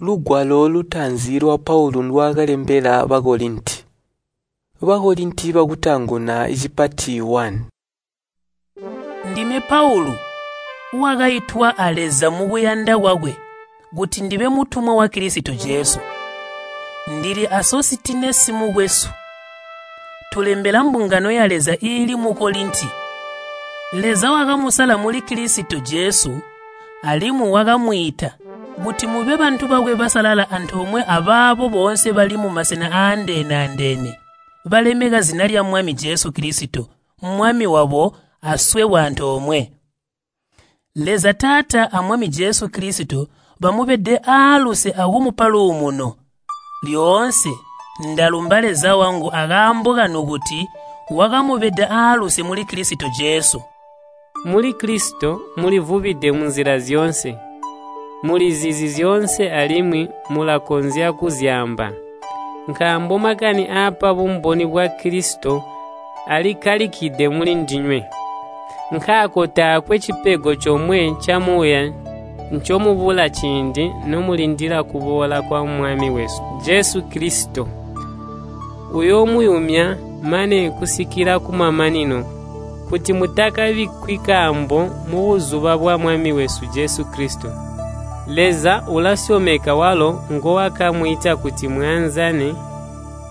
Lugwalo lutaanzi lwa Paulu ndwaakalembela Bakolinti. Bakolinti bakutaanguna cipati 1. Ndime Paulu, wakaitwa a Leza mukuyanda kwakwe kuti ndibe mutumwa wa Kilisito Jesu. Ndili a Sositinesi mukwesu. Tulembela mbungano ya Leza iili mu Kolinti. Leza wakamusala muli Kilisito Jesu alimwi wakamwiita kuti mube bantu bakwe basalala antoomwe abaabo boonse bali mumasena aandeene-andeene balemeka zina lya Mwami Jesu Kilisito, Mwami wabo aswebo antoomwe. Leza Taata a Mwami Jesu Kilisito bamubede aaluse akumupa luumuno. Lyoonse ndalumba Leza wangu akaambo kanu kuti wakamubeda aaluse muli Kilisito Jesu. Muli Kilisito mulivubide munzila zyoonse. Mulizizi zyoonse alimwi mulakonzya kuzyaamba. Nkaambo makani aapa bumboni bwa Kilisito alikkalikide mulindinywe. Nkaako taakwe cipego comwe ca Muuya ncomubula ciindi nomulindila kuboola kwa Mwami wesu Jesu Kilisito. Uyoomuyumya mane kusikila kumamanino, kuti mutakabikkwi kaambo mubuzuba bwa Mwami wesu Jesu Kilisito. Leza ulasyomeka walo ngowakamwiita kuti mwaanzane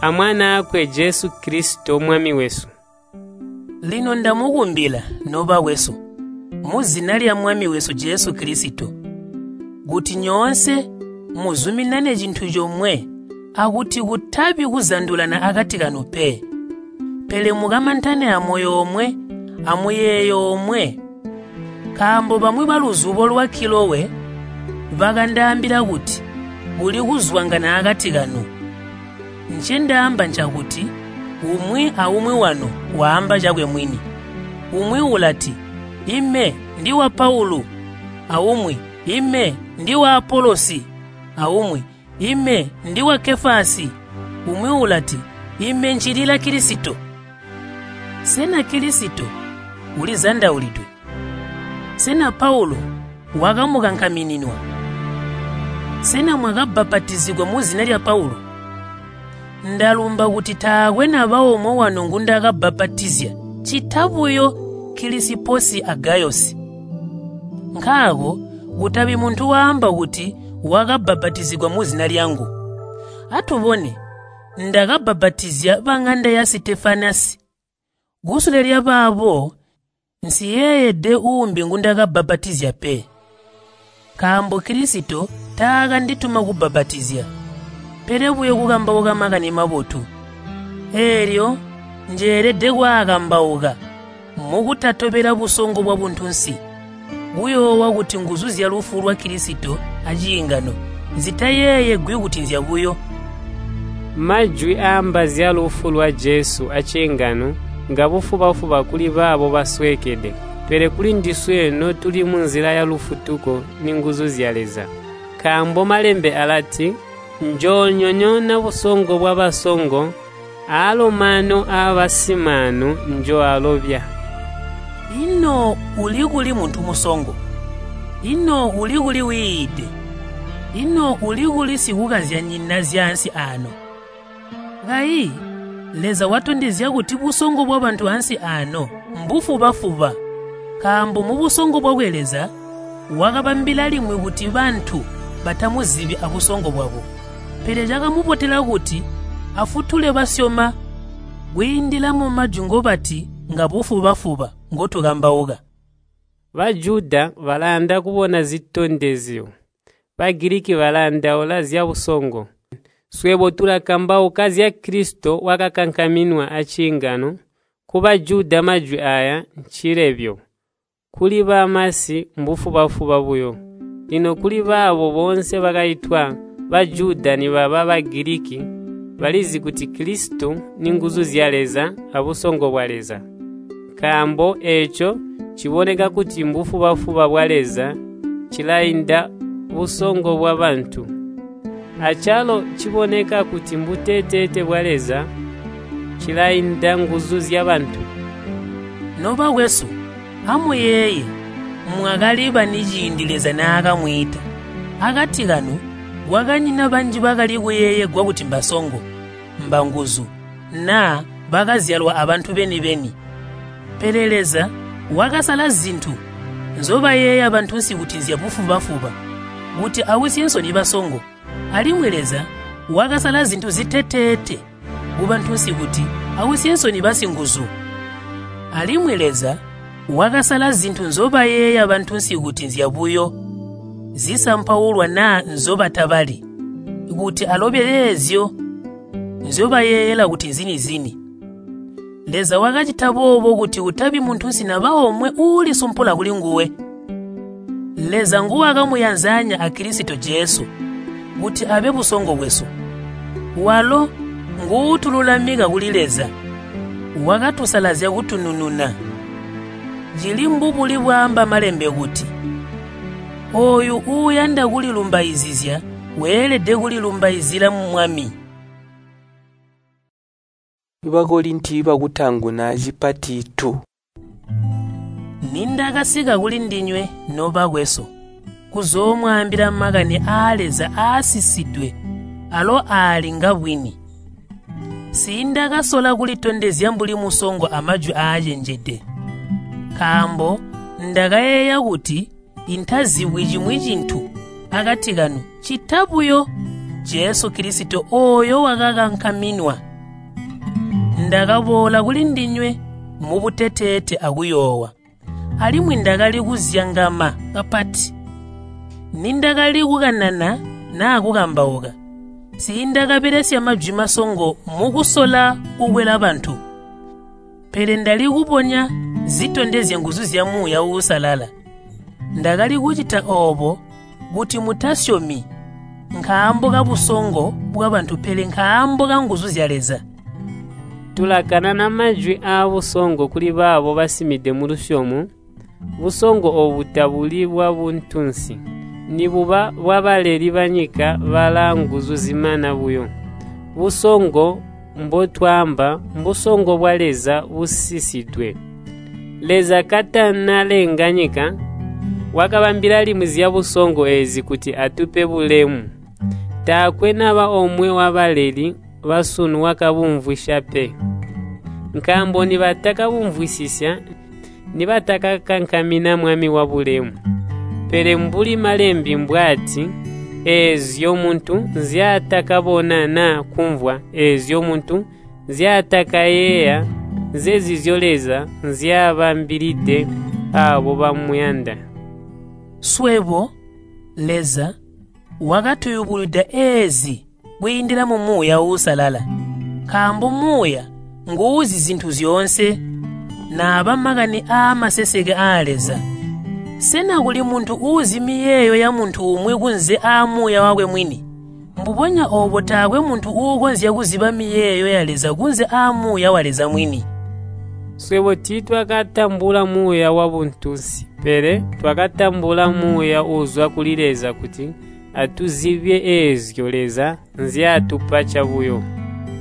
a Mwanaakwe Jesu Kilisito Mwami wesu. Lino ndamukumbila nobakwesu, muzina lya Mwami wesu Jesu Kilisito, kuti nyoonse muzuminane cintu comwe akuti kutabi kuzandulana akati kanu pe, pele mukamantane amoyo omwe amuyeeyo omwe. Nkaambo bamwi baluzubo lwa Kilowe bakandaambila kuti kuli kuzwangana akati kanu. Ncendaamba ncakuti umwi aumwi wanu waamba cakwe mwini. Umwi ulati, “Ime ndi wa Paulu,” aumwi, “Ime ndi wa Apolosi,” aumwi, “Ime ndi wa Kefasi,” umwi ulati, “Ime ncilila Kilisito.” Sena Kilisito ulizandaulidwe? Sena Paulu wakamukankamininwa? Sena mwakabbapatizigwa muzina lya Paulu? Ndalumba kuti taakwe naba omwe wanu ngundakabbapatizya ccita buyo Kilisiposi a Gayosi. Nkaako kutabi muntu waamba kuti wakabbapatizigwa muzina lyangu. Atubone, ndakabbapatizya baŋanda ya Sitefanasi. Kusule lyabaabo nsiyeeyede uumbi ngundakabbapatizya pe. Nkaambo Kilisito taakandituma kubbapatizya, pele buyo kukambauka Makani Mabotu. Eelyo njeelede kwaakambauka mukutatobela busongo bwabuntunsi, kuyoowa kuti nguzu zyalufu lwa Kilisito aciingano zitayeeyegwi kuti nzyabuyo. Majwi aamba zyalufu lwa Jesu aciingano ngabufuba-fuba kuli baabo basweekede, pele kuli ndiswe notuli munzila yalufutuko ninguzu zya Leza. Nkaambo Malembe alati, “Njoonyonyoona busongo bwabasongo, aalo maano aabasimaanu njooalobya.” Ino uli kuli muntu musongo? Ino uli kuli wiide? Ino uli kuli sikukazyanyina zyaansi aano? Kayi Leza watondezya kuti busongo bwabantu ansi aano mbufuba-fuba, nkaambo mubusongo bwakwe Leza wakabambila limwi kuti bantu batamuzibi abusongo bwabo. Pele cakamubotela kuti afutule basyoma kwiindila mumajwi ngobati ngabufuba-fuba ngotukambauka. Bajuda balayanda kubona zitondezyo, Bagiliki balandaula zyabusongo. Swebo tulakambauka zya Kilisito wakakankaminwa aciingano. Ku Bajuda majwi aaya ncilebyo, kuli bamasi mbufuba-fuba buyo. Lino kuli baabo boonse bakaitwa, Bajuda nibaba Bagiliki, balizi kuti Kilisito ninguzu zya Leza abusongo bwa Leza. Nkaambo eeco ciboneka kuti mbufuba-fuba bwa Leza cilainda busongo bwabantu. Acalo ciboneka kuti mbuteteete bwa Leza cilainda nguzu zyabantu. Nobakwesu, amuyeeye mwakali bani ciindi Leza naakamwiita. Akati kanu Kwakanyina banji bakali kuyeeyegwa kuti mbasongo, mbanguzu, naa bakazyalwa abantu beni-beni. Pele Leza wakasala zintu nzobayeeya bantunsi kuti nzyabufuba-fuba, kuti ausye nsoni basongo. Alimwi Leza wakasala zintu ziteteete kubantunsi kuti ausye nsoni basinguzu. Alimwi Leza wakasala zintu nzobayeeya bantunsi kuti nzyabuyo, zisampaulwa naa nzobatabali, kuti alobe eezyo nzyobayeeyela kuti nzini-zini. Leza wakacita boobo kuti kutabi muntunsi naba omwe uulisumpula kulinguwe. Leza nguwakamuyanzanya a Kilisito Jesu kuti abe busongo bwesu. Walo nguutululamika kuli Leza, wakatusalazya kutunununa. Cili mbubuli bwaamba Malembe kuti, ooyu uuyanda kulilumbaizizya weelede kulilumbaizila mu Mwami. Bakorinti bakutaanguna cipati 2. Nindakasika kulindinywe nobakwesu, kuzoomwaambila makani aa Leza aasisidwe alo aali ngabwini. Siindakasola kulitondezya mbuli musongo amajwi aacenjede, nkaambo ndakayeeya kuti intazibwi cimwi cintu akati kanu ccita buyo Jesu Kilisito ooyo wakakankaminwa. Ndakaboola kulindinywe mubuteteete akuyoowa, alimwi ndakali kuzyangama kapati. Nindakali kukanana naa kukambauka, siindakabelesya majwi masongo mukusola kukwela bantu, pele ndali kubonya zitondezya nguzu zya Muuya Uusalala. Ndakali kucita oobo kuti mutasyomi nkaambo kabusongo bwabantu pele nkaambo kanguzu zya Leza. Tulakanana majwi aabusongo kuli baabo basimide mulusyomo. Busongo oobu tabuli bwabuntunsi, nibuba bwabaleli banyika balaa nguzu zimana buyo. Busongo mbotwaamba mbusongo bwa Leza busisidwe. Leza katanalenga nyika, wakabambila limwi zyabusongo eezi kuti atupe bulemu. Taakwe naba omwe wabaleli basunu wakabumvwisya pe. Nkaambo nibatakabumvwisisya, nibatakakankamina Mwami wabulemu. Pele mbuli Malembe mbwaati, eezyo muntu nzyaatakabona naa kumvwa, eezyo muntu nzyaatakayeeya, nzezizyo Leza nzyaabambilide aabo bamuyanda. Swebo, Leza wakatuyubulwida eezi kwiindila mu Muuya Uusalala, nkaambo Muuya nguuzi zintu zyoonse, naaba makani aamaseseke aa Leza. Sena kuli muntu uuzi miyeeyo ya muntu umwi kunze aa Muuya wakwe mwini? Mbubonya oobo taakwe muntu uukonzya kuziba miyeeyo ya Leza kunze aa Muuya wa Leza mwini. Swebo tiitwakatambula muuya wabuntunsi, pele twakatambula Muuya uuzwa kuli Leza kuti atuzibye eezyo Leza nzyaatupa cabuyo.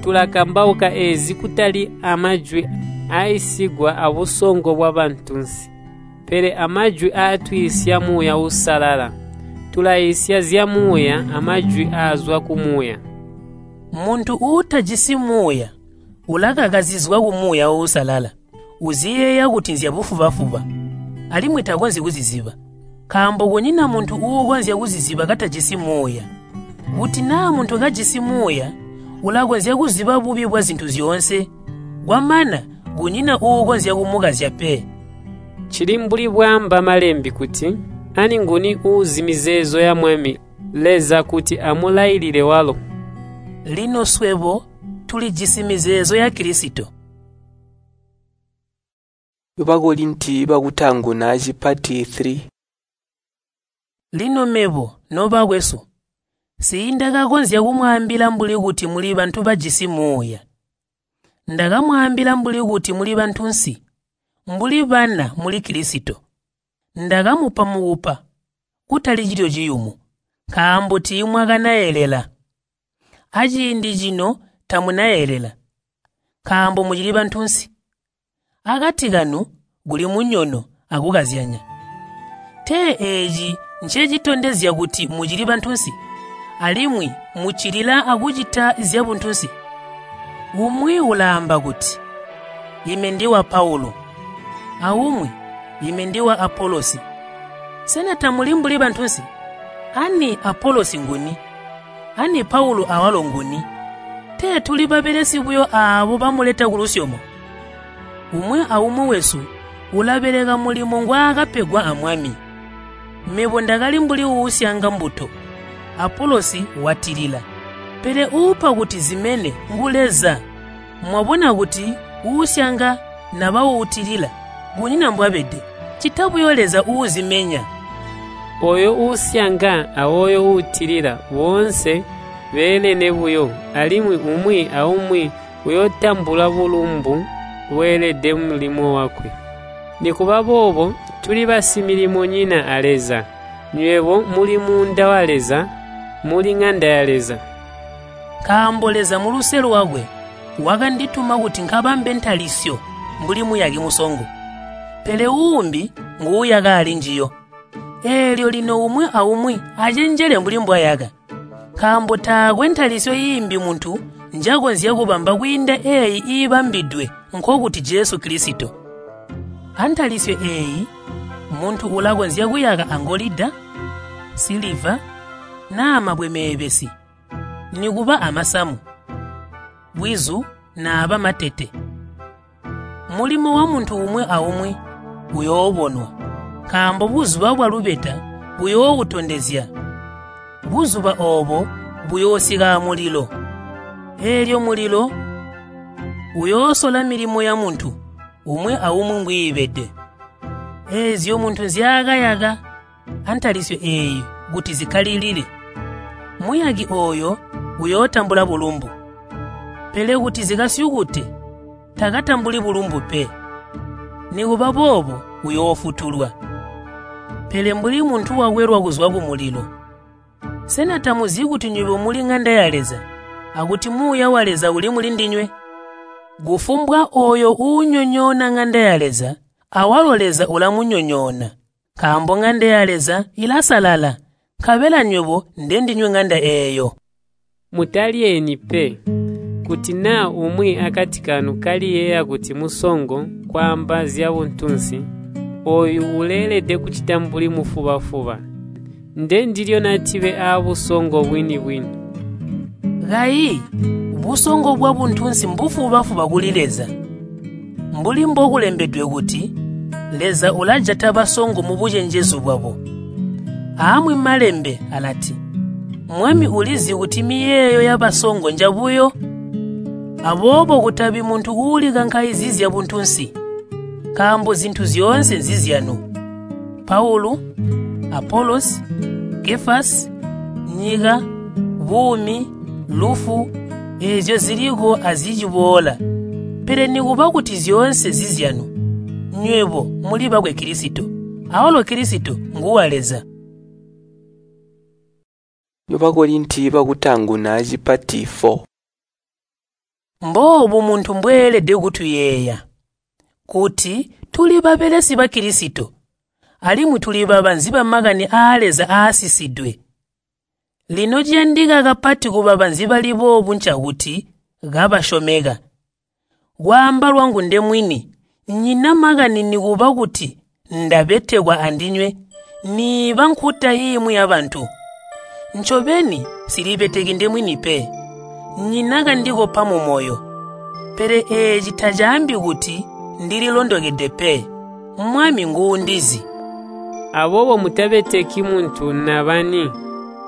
Tulakambauka eezi kutali amajwi aaisigwa abusongo bwabantunsi, pele amajwi aatwiisya Muuya Uusalala. Tulaisya zya Muuya amajwi aazwa ku Muuya. Muntu uutajisi Muuya ulakakazizwa ku Muuya Uusalala, uziyeeya kuti nzyabufuba-fuba, alimwi takonzyi kuziziba, nkaambo kunyina muntu uukonzya kuziziba katajisi Muuya. Kuti naa muntu kajisi Muuya, ulakonzya kuziba bubi bwazintu zyoonse, kwamana kunyina uukonzya kumukazya pe. Cili mbuli bwaamba Malembe kuti, ani nguni uuzi mizeezo ya Mwami Leza kuti amulailile walo. Lino swebo tulijisi mizeezo ya Kilisito. Bakorinti bakutaanguna cipati 3. Lino mebo nobakwesu, siindakakonzya kumwaambila mbuli kuti muli bantu bajisi Muuya. Ndakamwaambila mbuli kuti muli bantunsi, mbuli bana muli Kilisito. Ndakamupa mukupa, kutali cilyo ciyumu, nkaambo tiimwakanayelela. Aciindi cino tamunayelela, nkaambo mucili bantunsi. Akati kanu kuli munyono akukazyanya. Tee eeci ncecitondezya kuti mucili bantunsi? Alimwi muccilila akucita zyabuntunsi? Umwi ulaamba kuti, “Ime ndiwa Paulu,” aumwi, “Ime ndiwa Apolosi.” Sena tamuli mbuli bantunsi? Ani Apolosi nguni? Ani Paulu awalo nguni? Tee tuli babelesi buyo aabo bamuleta kulusyomo. Umwi aumwi wesu ulabeleka mulimo ngwaakapegwa a Mwami. Mebo ndakali mbuli uusyanga mbuto, Apolosi watilila, pele uupa kuti zimene ngu Leza. Mwabona kuti uusyanga naba uutilila kunyina mbwabede, ccita buyo Leza uuzimenya. Ooyo uusyanga awooyo uutilila boonse beelene buyo, alimwi umwi aumwi uyootambula bulumbu bweelede mulimo wakwe. Nikuba boobo tuli basimilimonyina a Leza. Nywebo muli muunda wa Leza, muli ŋanda ya Leza. Nkaambo Leza muluse lwakwe wakandituma kuti nkabambe ntalisyo mbuli muyaki musongo, pele uumbi nguuyaka alinjiyo. Eelyo lino umwi aumwi acenjele mbuli mbwayaka, nkaambo taakwe ntalisyo iimbi muntu njakonzya kubamba kwiinda eeyi iibambidwe, nkokuti Jesu Kilisito. Antalisyo eeyi muntu ulakonzya kuyaka angolida, siliva, naa mabwe meebesi, nikuba amasamu, bwizu naaba matete. Mulimo wamuntu umwi aumwi uyoobonwa, nkaambo buzuba bwalubeta buyoowutondezya. Buzuba oobo buyoosika amulilo. Eelyo mulilo uyoosola milimo yamuntu umwi aumwi mbwiibede. Eezyo muntu nzyaakayaka antalisyo eeyi kuti zikkalilile, muyaki ooyo uyootambula bulumbu. Pele kuti zikasyukute, takatambuli bulumbu pe. Nikuba boobo uyoofutulwa, pele mbuli muntu wakwelwa kuzwa kumulilo. Sena tamuzi kuti nywebo muli ŋanda ya Leza, akuti Muuya wa Leza uli mulindinywe? Kufumbwa ooyo uunyonyoona ŋanda ya Leza, awalo Leza ulamunyonyoona, nkaambo ŋanda ya Leza ilasalala, nkabela nywebo ndendinywe ŋanda eeyo. Mutalyeeni pe. Kuti naa umwi akati kanu kaliyeeya kuti musongo kwaamba zyabuntunsi, ooyu uleelede kucita mbuli mufuba-fuba. Ndendilyo natibe aabusongo bwini-bwini. Kayi busongo bwabuntunsi mbufuba-fuba kuli Leza. Mbuli mbokulembedwe kuti, Leza ulajata basongo mubucenjezu bwabo. Aamwi malembe alati, Mwami ulizi kuti miyeeyo yabasongo njabuyo. Aboobo kutabi muntu uulikankaizizya buntunsi, nkaambo zintu zyoonse nzizyanu. Paulu, Apolosi, Kefasi, nyika, buumi, lufu, eezyo ziliko aziciboola. Pele nikuba kuti zyoonse zizyanu, nywebo muli bakwe Kilisito, awalo Kilisito nguwa Leza. Bakorinti bakutaanguna cipati 4. Mboobu muntu mbweelede kutuyeeya, kuti tuli babelesi ba Kilisito, alimwi tuli babanzi bamakani aa Leza aasisidwe. Lino ciyandika kapati kubabanzi bali boobu ncakuti kabasyomeka. Kwaamba lwangu ndemwini, nyina makani nikuba kuti ndabetekwa andinywe, niiba nkuta iimwi yabantu. Ncobeni nsilibeteki ndemwini pe, nyina kandikopa mumoyo. Pele eeci tacaambi kuti ndililondokede pe, Mwami nguundizi. Aboobo mutabeteki muntu nabani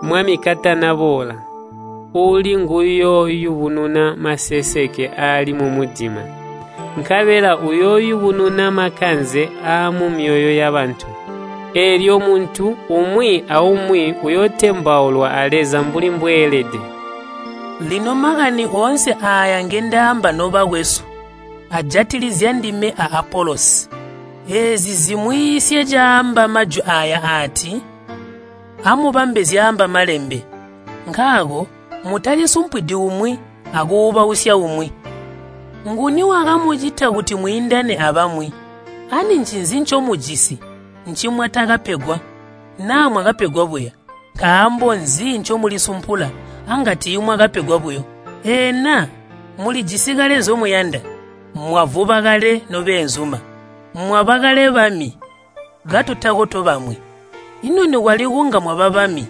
Mwami katanaboola, uuli nguyooyubununa maseseke aali mumudima, nkabela uyooyubununa makanze aamumyoyo yabantu. Eelyo muntu umwi aumwi uyootembaulwa a Leza mbuli mbweelede. Lino makani oonse aaya ngendaamba nobakwesu, ajatilizya ndime a Apolosi. Eezi zimwiisye caamba majwi aaya aati, amubambe zyaamba malembe. Nkaako mutalisumpwidi umwi akuubausya umwi. Nguni wakamucita kuti mwiindane abamwi? Ani ncinzi ncomujisi ncimwatakapegwa? Naa mwakapegwa buya? Nkaambo nzi ncomulisumpula anga tiimwakapegwa buyo? Ena mulijisi kale nzomuyanda, mwavuba kale nobeenzuma, mwaba kale bami, katutako tobamwi. Ino nikwali kunga mwaba bami,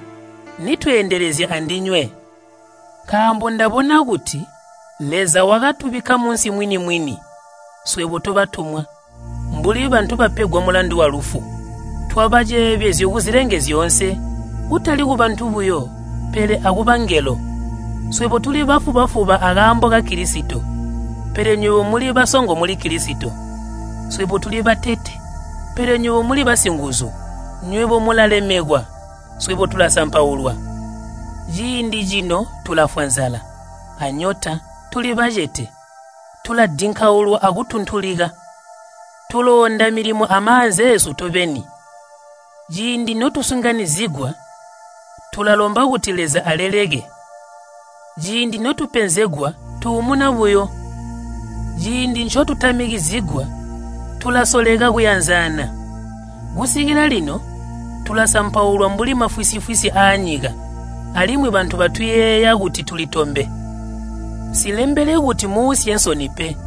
nitweendelezya andinywe. Nkaambo ndabona kuti Leza wakatubikka munsi mwini-mwini, swebo tobatumwa, mbuli bantu bapegwa mulandu walufu. Twaba ceebezyo kuzilenge zyoonse, kutali kubantu buyo, pele akubangelo. Swebo tuli bafuba-fuba akaambo ka Kilisito, pele nywebo muli basongo muli Kilisito. Swebo tuli batete, pele nywebo muli basinguzu. Nywebo mulalemekwa, swebo tulasampaulwa. Ciindi cino tulafwa nzala, anyota, tuli bacete, tuladinkaulwa akutuntulika. Tulonda milimo amaanza eesu tobeni. Ciindi notusunganizigwa, tulalomba kuti Leza aleleke. Ciindi notupenzegwa, tuumuna buyo. Ciindi ncotutamikizigwa, tulasoleka kuyanzana. Kusikila lino, tulasampaulwa mbuli mafwisi-fwisi aanyika, alimwi bantu batuyeeya kuti tuli tombe. Nsilembele kuti muusye nsoni pe,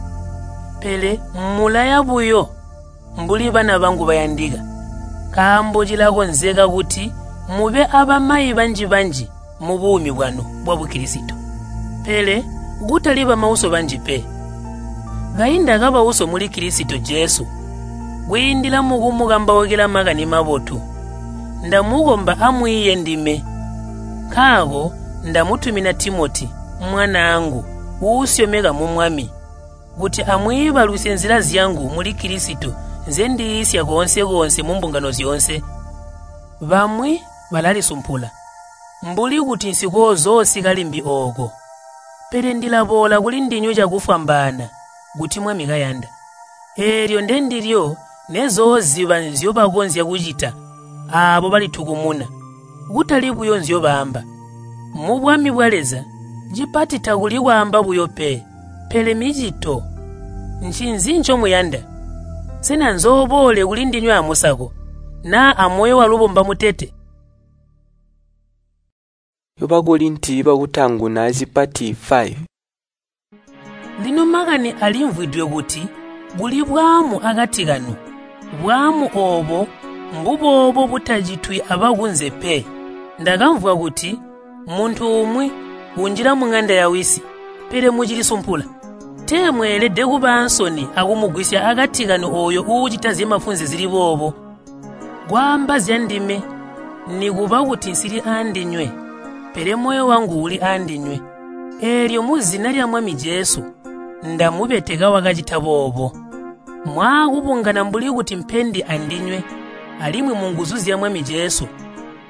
pele mulaya buyo mbuli bana bangu bayandika. Nkaambo cilakonzeka kuti mube abamayi banji-banji mubuumi bwanu bwa Bukilisito, pele kutali bamauso banji pe. Kayi ndakaba uso muli Kilisito Jesu kwiindila mukumukambaukila Makani Mabotu. Ndamukomba amwiiye ndime. Nkaako ndamutumina Timoti, mwanaangu uusyomeka mu Mwami, kuti amwiibalusye nzila zyangu muli Kilisito nzendiisya koonse-koonse mumbungano zyoonse. Bamwi balalisumpula, mbuli kuti nsikoozoosika limbi ooko. Pele ndilaboola kulindinywe cakufwambaana kuti Mwami kayanda. Eelyo ndendilyo nezooziba nzyobakonzya kucita aabo balitukumuna, kutali buyo nzyobaamba. Mubwami bwa Leza, cipati takuli kwaamba buyo pe, pele micito. Ncinzi ncomuyanda? Sena nzooboole kulindinywe amusako, naa amoyo walubomba mutete? Bakorinti bakutaanguna cipati 5. Lino makani alimvwidwe kuti kuli bwaamu akati kanu. Bwaamu oobo mbuboobo butacitwi abakunze pe. Ndakamvwa kuti muntu umwi unjila muŋanda ya wisi, pele mucilisumpula. Tee mweelede kuba ansoni akumugwisya akati kanu ooyo uucita zyamafunze zili boobo. Kwaamba zyandime, nikuba kuti nsili aandinywe, pele moyo wangu uli aandinywe. Eelyo muzina lya Mwami Jesu ndamubeteka wakacita boobo. Mwaakubungana mbuli kuti mpendi andinywe, alimwi munguzu zya Mwami Jesu,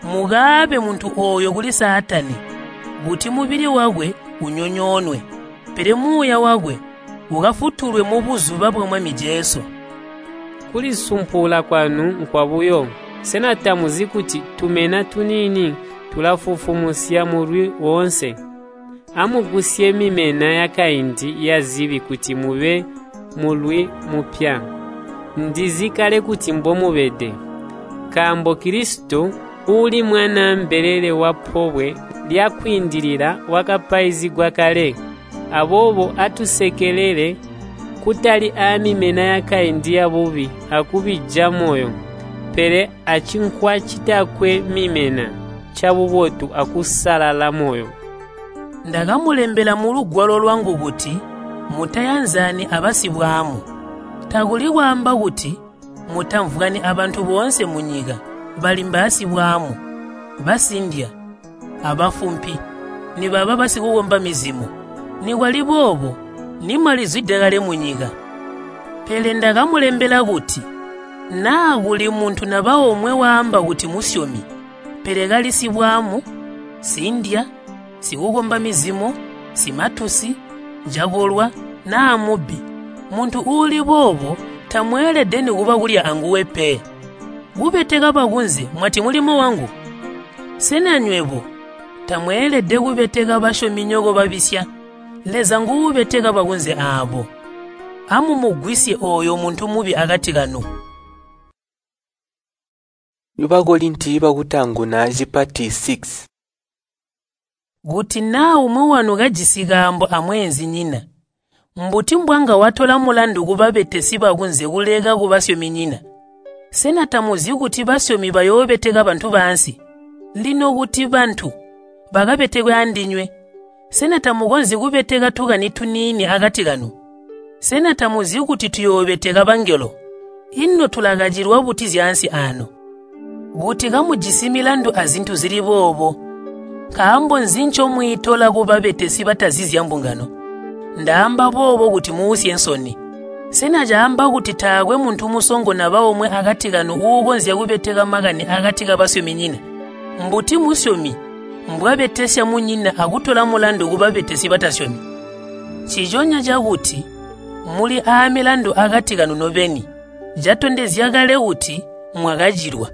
mukaabe muntu ooyo kuli Saatani, kuti mubili wakwe unyonyoonwe, pele muuya wakwe ukafutulwe mubuzuba bwa Mwami Jesu. Kulisumpula kwanu nkwabuyo. Sena tamuzi kuti tumena tuniini tulafufumusya mulwi woonse? Amugusye mimena yakaindi yazibi kuti mube mulwi mupya. Ndizi kale kuti mbomubede. Nkaambo Kilisito uuli mwanaa mbelele wa Pobwe lya Kwiindilila wakapaizigwa kale. Aboobo atusekelele kutali aamimena yakaindi yabubi akubija moyo, pele acinkwa citakwe mimena cabubotu akusalala moyo. Ndakamulembela mulugwalo lwangu kuti mutayanzani abasibwaamu. Takuli kwaamba kuti mutamvwani abantu boonse munyika bali mbaasibwaamu, basindya, abafumpi, nibaba basikukomba mizimo. Nikwali boobo nimwalizwide kale munyika. Pele ndakamulembela kuti naa kuli muntu naba omwe waamba kuti musyomi, pele kali sibwaamu, sindya, sikukomba mizimo, simatusi, njakolwa naa mubbi, muntu uuli boobo tamweelede nikuba kulya anguwe pe. Kubeteka bakunze mwati mulimo wangu? Sena nywebo tamweelede kubeteka basyominyoko babisya? Leza nguubeteka bakunze aabo. Amumugwisye ooyo muntu mubi akati kanu. Bakorinti bakutaanguna cipati 6. Kuti naa umwi wanu kajisi kaambo amweenzinyina, mbuti mbwanga watola mulandu kubabetesi bakunze kuleka kubasyominyina? Sena tamuzi kuti basyomi bayoobeteka bantu baansi? Lino kuti bantu bakabetekwe andinywe, sena tamukonzyi kubeteka tukani tuniini akati kanu? Sena tamuzi kuti tuyoobeteka bangelo? Ino tulakacilwa buti zyaansi aano? Kuti kamujisi milandu azintu zili boobo, nkaambo nzi ncomwiitola kubabetesi batazi zyambungano? Ndaamba boobo kuti muusye nsoni. Sena caamba kuti taakwe muntu musongo naba omwe akati kanu uukonzya kubeteka makani akati kabasyominyina? Mbuti musyomi mbwabetesya munyina akutola mulandu kubabetesi batasyomi? Nciconya cakuti muli aamilandu akati kanu nobeni, catondezya kale kuti mwakacilwa.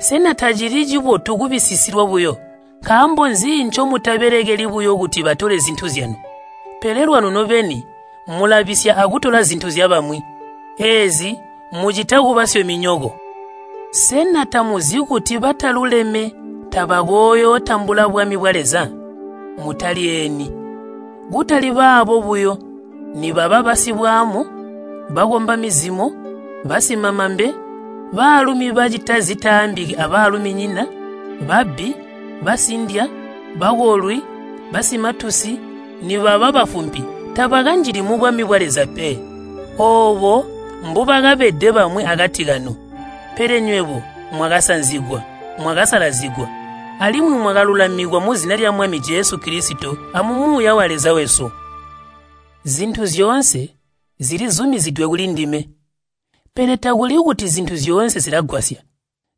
Sena tacili cibotu kubisisilwa buyo? Nkaambo nzi ncomutabelekeli buyo kuti batole zintu zyanu? Pele lwanu nobeni mulabisya akutola zintu zyabamwi. Eezi mucita kubasyominyoko. Sena tamuzi kuti bataluleme tabakooyootambula bwami bwa Leza? Mutalyeeni. Kutali baabo buyo, nibaba basibwaamu, bakomba mizimo, basimamambe, baalumi bacita zitaambiki abaaluminyina, babbi, basindya, bakolwi, basimatusi, nibaba bafumpi tabakanjili mubwami bwa Leza pe. Oobo mbubakabede bamwi akati kanu. Pele nywebo mwakasanzigwa, mwakasalazigwa, alimwi mwakalulamikwa muzina lya Mwami Jesu Kilisito amumuuya wa Leza wesu. Zintu zyoonse zilizumizidwe kulindime, pele takuli kuti zintu zyoonse zilagwasya.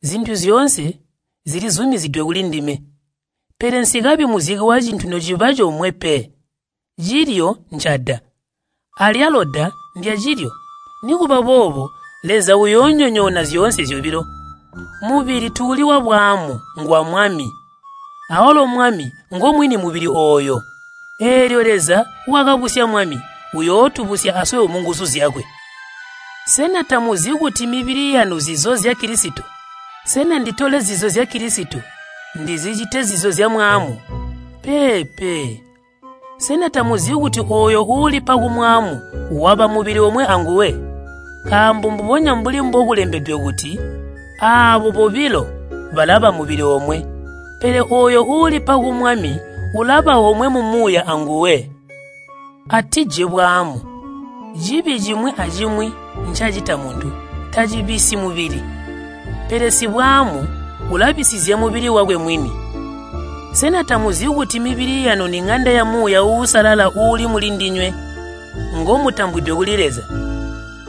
Zintu zyoonse zilizumizidwe kulindime, pele nsikabi muzike wacintu nociba comwe pe. Cilyo ncada, alyalo da ndyacilyo. Nikuba boobo Leza uyoonyonyoona zyoonse zyobilo. Mubili tuuli wabwaamu ngwa Mwami, awalo Mwami ngomwini mubili ooyo. Eelyo Leza wakabusya Mwami uyootubusya aswebo munguzu zyakwe. Sena tamuzi kuti mibili yanu zizo zya Kilisito? Sena nditole zizo zya Kilisito ndizicite zizo zya mwaamu? Peepe. Sena tamuzi kuti ooyo uulipa kumwaamu waba mubili omwe anguwe? Nkaambo mbubonya mbuli mbokulembedwe kuti, aabo bobilo balaba mubili omwe. Pele ooyo uulipa ku Mwami ulaba omwe mumuuya anguwe. Atije bwaamu. Cibi cimwi acimwi ncacita muntu tacibisyi mubili, pele sibwaamu ulabisizya mubili wakwe mwini. Sena tamuzi kuti mibili yanu ni ŋanda ya Muuya Uusalala uuli mulindinywe, ngomutambwidwe kuli Leza?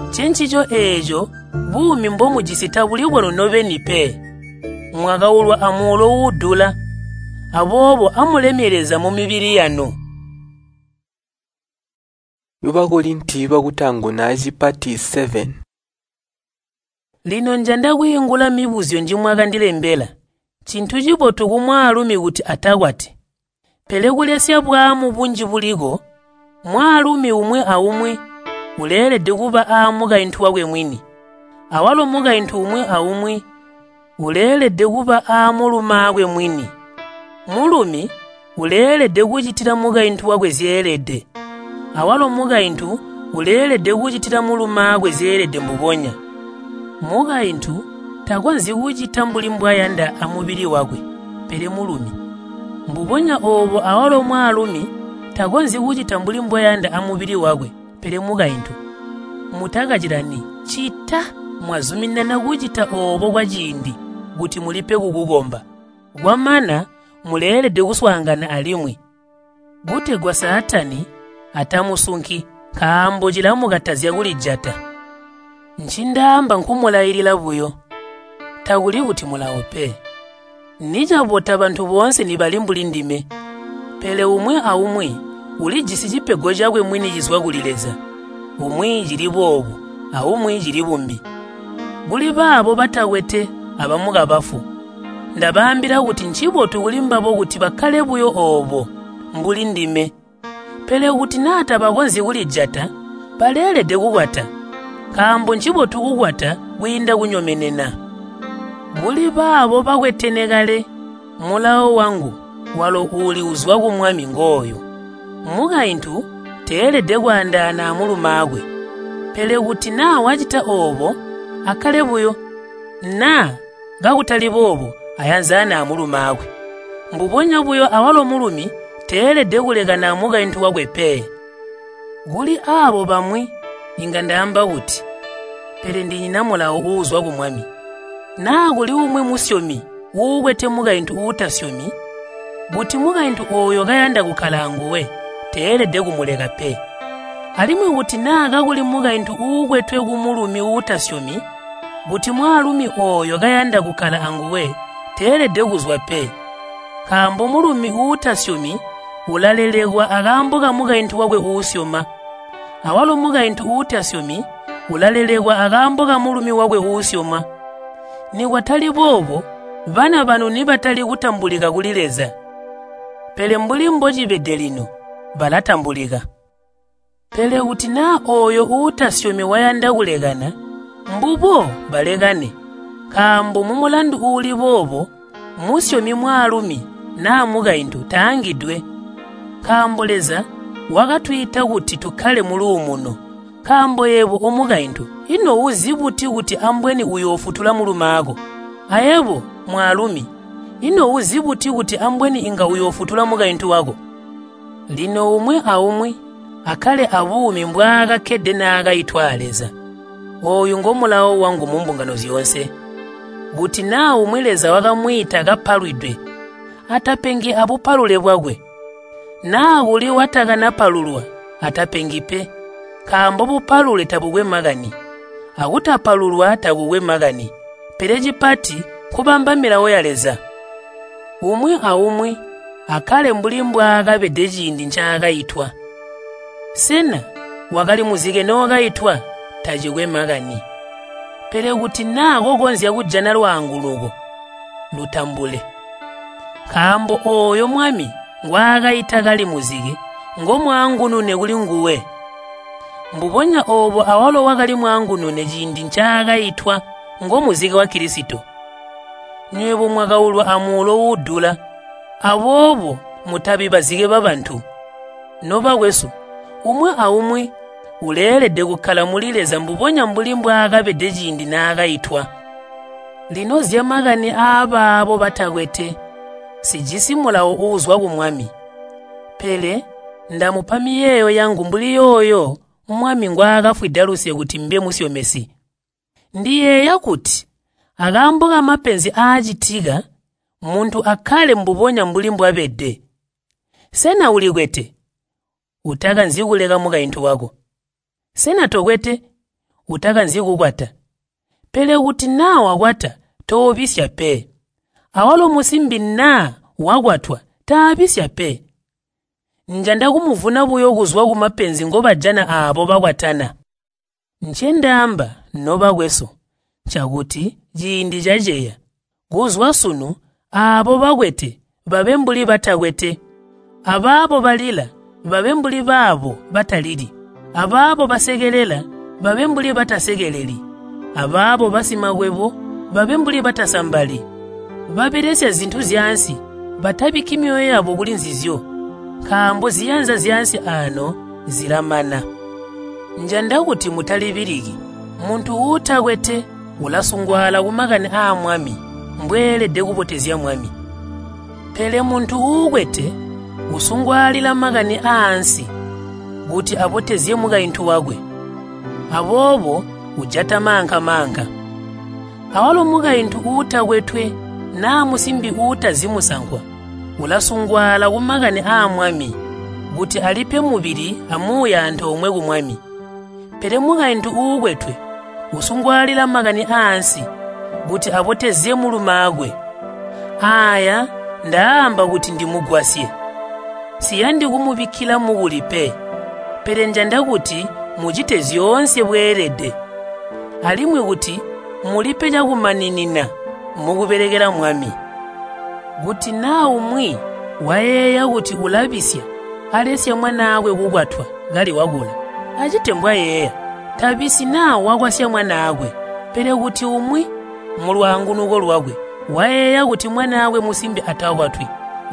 Ncencico eeco buumi mbomujisi tabuli bwanu nobeni pe. Mwakaulwa amuulo uudula. Aboobo amulemye Leza mumibili yanu. Bakorinti bakutaanguna cipati 7. Lino njanda kwiingula mibuzyo njimwakandilembela. Ncintu cibotu kumwaalumi kuti atakwati. Pele kulesya bwaamu bunji buliko, mwaalumi umwi aumwi uleelede kuba aamukaintu wakwe mwini. Awalo mukaintu umwi aumwi uleelede kuba aamulumaakwe mwini. Mulumi uleelede kucitila mukaintu wakwe zyeelede. Awalo mukaintu uleelede kucitila mulumaakwe zyeelede mbubonya. Mukaintu takonzyi kucita mbuli mbwayanda amubili wakwe, pele mulumi. Mbubonya oobo awalo mwaalumi takonzyi kucita mbuli mbwayanda amubili wakwe, pele mukaintu. Mutakacilani cita mwazuminana kucita oobo kwaciindi kuti mulipe kukukomba. Kwamana muleelede kuswaangana alimwi, kutegwa Saatani atamusunki, nkaambo cilamukatazya kulijata. Ncindaamba nkumulailila buyo, takuli kuti mulawo pe. Nicabota bantu boonse nibali mbuli ndime, pele umwi aumwi ulijisi cipego cakwe mwini cizwa kuli Leza. Umwi cili boobu, aumwi cili bumbi. Kuli baabo batakwete abamukabafu, ndabaambila kuti ncibotu kulimbabo kuti bakkale buyo oobo mbuli ndime. Pele kuti naa tabakonzyi kulijata, baleelede kukwata, nkaambo ncibotu kukwata kwiinda kunyomenena. Kuli baabo bakwetene kale, mulawo wangu walo uuli uzwa ku Mwami ngooyu. Mukaintu teelede kwaandaana amulumaakwe. Pele kuti naa wacita oobo, akkale buyo. Naa kakutali boobo ayanzane amulumaakwe. Mbubonya buyo awalo mulumi teelede kulekana amukaintu wakwe pe. Kuli aabo bamwi inga ndaamba kuti, pele ndinyina mulawo uuzwa ku Mwami. Naa kuli umwi musyomi uukwete mukaintu uutasyomi, kuti mukaintu ooyo kayanda kukkala anguwe, teelede kumuleka pe. Alimwi kuti naa kakuli mukaintu uukwetwe kumulumi uutasyomi, kuti mwaalumi ooyo kayanda kukkala anguwe, teelede kuzwa pe. Nkaambo mulumi uutasyomi ulalelekwa akaambo kamukaintu wakwe uusyoma. Awalo mukaintu uutasyomi ulalelekwa akaambo kamulumi wakwe uusyoma. Nikwatali boobo, bana banu nibatali kutambulika kuli Leza. Pele mbuli mbocibede lino, balatambulika. Pele kuti naa ooyo uutasyomi wayanda kulekana, mbubo balekane. Nkaambo mumulandu uuli boobo, musyomi mwaalumi naa mukaintu taangidwe. Nkaambo Leza wakatwiita kuti tukkale muluumuno. Nkaambo yebo omukaintu, ino uzi buti kuti ambweni uyoofutula mulumaako? Ayebo mwaalumi, ino uzi buti kuti ambweni inga uyoofutula mukaintu wako? Lino umwi aumwi akkale abuumi mbwaakakkede naakaitwa a Leza. Ooyu ngomulawo wangu mumbungano zyoonse. Kuti naa umwi Leza wakamwiita kapalwidwe, atapengi abupalule bwakwe. Naa kuli watakanapalulwa, atapengi pe. Nkaambo bupalule tabukwe makani, akutapalulwa takukwe makani, pele cipati nkubamba milawo ya Leza. Umwi aumwi akkale mbuli mbwaakabede ciindi ncaakaitwa. Sena wakali muzike noowakaitwa? Tacikwe makani. Pele kuti naa kokonzya kujana lwaanguluko, lutambule. Nkaambo ooyo Mwami ngwaakaita kali muzike, ngomwaangunune kulinguwe. Mbubonya oobo awalo wakali mwaangunune ciindi ncaakaitwa ngomuzike wa Kilisito. Nywebo mwakaulwa amuulo uudula, aboobo mutabi bazike babantu. Nobakwesu, umwi aumwi uleelede kukkala muli Leza mbubonya mbuli mbwaakabede ciindi naakaitwa. Lino zyamakani aabaabo batakwete, sijisi mulawo uuzwa ku Mwami. Pele ndamupa miyeeyo yangu mbuli yooyo Mwami ngwaakafwida luse kuti mbe musyomesi. Ndiyeeya kuti akaambo kamapenzi aacitika, muntu akkale mbubonya mbuli mbwabede. Sena ulikwete? Utakanzi kuleka mukaintu wako. Sena tokwete? Utakanzi kukwata. Pele kuti naa wakwata, toobisya pe. Awalo musimbi naa wakwatwa taabisya pe. Njanda kumuvuna buyo kuzwa kumapenzi ngobajana aabo bakwatana. Ncendaamba, nobakwesu, ncakuti ciindi caceya. Kuzwa sunu aabo bakwete babe mbuli batakwete, abaabo balila babe mbuli baabo batalili, abaabo basekelela babe mbuli batasekeleli, abaabo basimakwebo babe mbuli batasambali. Babelesya zintu zyaansi batabikki myoyo yabo kuli nzizyo, nkaambo ziyanza zyaansi aano zilamana. Njanda kuti mutalibiliki. Muntu uutakwete ulasungwaala kumakani aa Mwami, mbweelede kubotezya Mwami. Pele muntu uukwete usungwaalila makani aansi kuti abotezye mukaintu wakwe. Aboobo ujata maanka-maanka. Awalo mukaintu uutakwetwe naa musimbi uutazi musankwa ulasungwaala kumakani aa Mwami kuti alipe mubili amuuya antoomwe ku Mwami. Pele mukaintu uukwetwe usungwaalila makani aansi kuti abotezye mulumaakwe. Aaya ndaamba kuti ndimugwasye. Siyandi kumubikkila mukuli pe, pele njanda kuti mucite zyoonse bweelede, alimwi kuti mulipe cakumaninina mukubelekela Mwami. Kuti naa umwi wayeeya kuti ulabisya alesya mwanaakwe kukwatwa kali wakula, acite mbwayeeya. Tabisyi naa wakwasya mwanaakwe. Pele kuti umwi mulwaangunuko lwakwe wayeeya kuti mwanaakwe musimbi atakwatwi,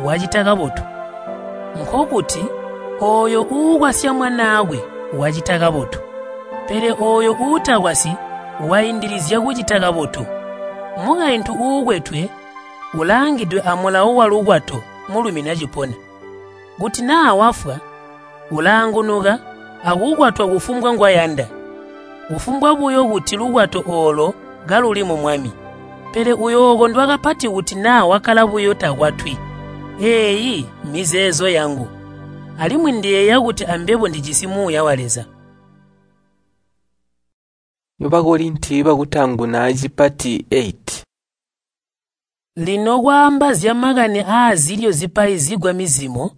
wacita kabotu. Nkokuti ooyo uukwasya mwanaakwe wacita kabotu, pele ooyo uutakwasyi waindilizya kucita kabotu. Mukaintu uukwetwe ulaangidwe amulawo walukwato mulumi nacipona. Kuti naa wafwa, ulaangunuka akukwatwa kufumbwa ngwayanda, kufumbwa buyo kuti lukwato oolo kaluli mu Mwami. Pele uyookondwa kapati kuti naa wakkala buyo takwatwi. Eeyi mizeezo yangu, alimwi ndiyeeya kuti ambebo ndijisi Muuya wa Leza. Bakorinti bakutaanguna cipati 8. Lino kwaamba zyamakani aazilyo zipaizigwa mizimo,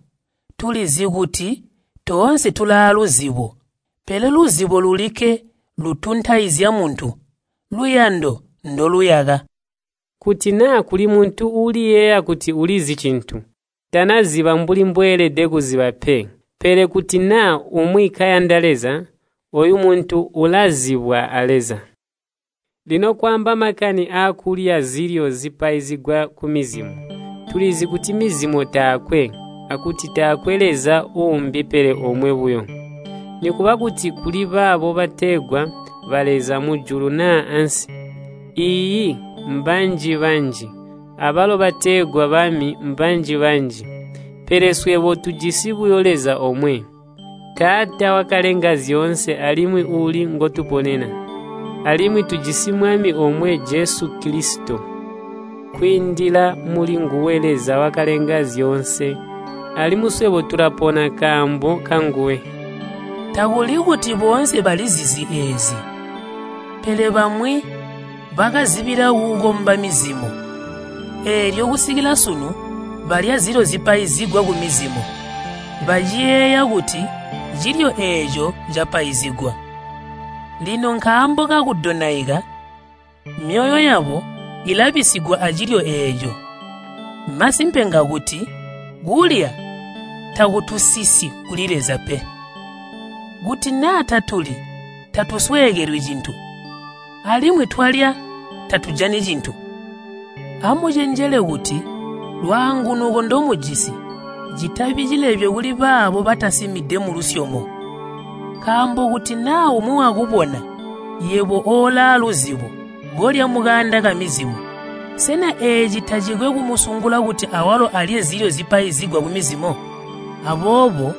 tulizi kuti toonse tulaaluzibo, pele luzibo lulikke lutuntaizya muntu, luyando ndoluyaka. Kuti naa kuli muntu uuliyeeya kuti ulizi cintu, tanaziba mbuli mbweelede kuziba pe. Pele kuti naa umwi kayanda Leza, oyu muntu ulazibwa a Leza. Lino kwaamba makani aakulya zilyo zipaizigwa kumizimo, tulizi kuti mizimo taakwe, akuti taakwe Leza uumbi pele omwe buyo. Nikuba kuti kuli baabo bategwa baleza mujulu naa ansi, iiyi mbanji-banji, abalo bategwa bami mbanji-banji. Pele swebo tujisi buyo Leza omwe, Taata wakalenga zyoonse alimwi uuli ngotuponena. Alimwi tujisi Mwami omwe Jesu Kilisito. Kwiindila muli nguwe Leza wakalenga zyoonse, alimwi swebo tulapona kaambo kanguwe. Takuli kuti boonse balizizi eezi, pele bamwi bakazibila kukomba mizimo. Eelyo kusikila sunu balya zilyo zipaizigwa kumizimo, baciyeeya kuti cilyo eeco capaizigwa. Lino nkaambo kakudonaika, myoyo yabo ilabisigwa acilyo eeco. Masimpe ngakuti kulya takutusisi kuli Leza pe. Kuti naa tatuli, tatusweekelwi cintu, alimwi twalya tatujani cintu. Amucenjele kuti lwaangunuko ndomujisi citabi cilebyo kuli baabo batasimide mulusyomo. Nkaambo kuti naa umwi wakubona yebo oolaaluzibo kolya mukaanda kamizimo, sena eeci tacikwe kumusungula kuti awalo alye zilyo zipaizigwa kumizimo? Aboobo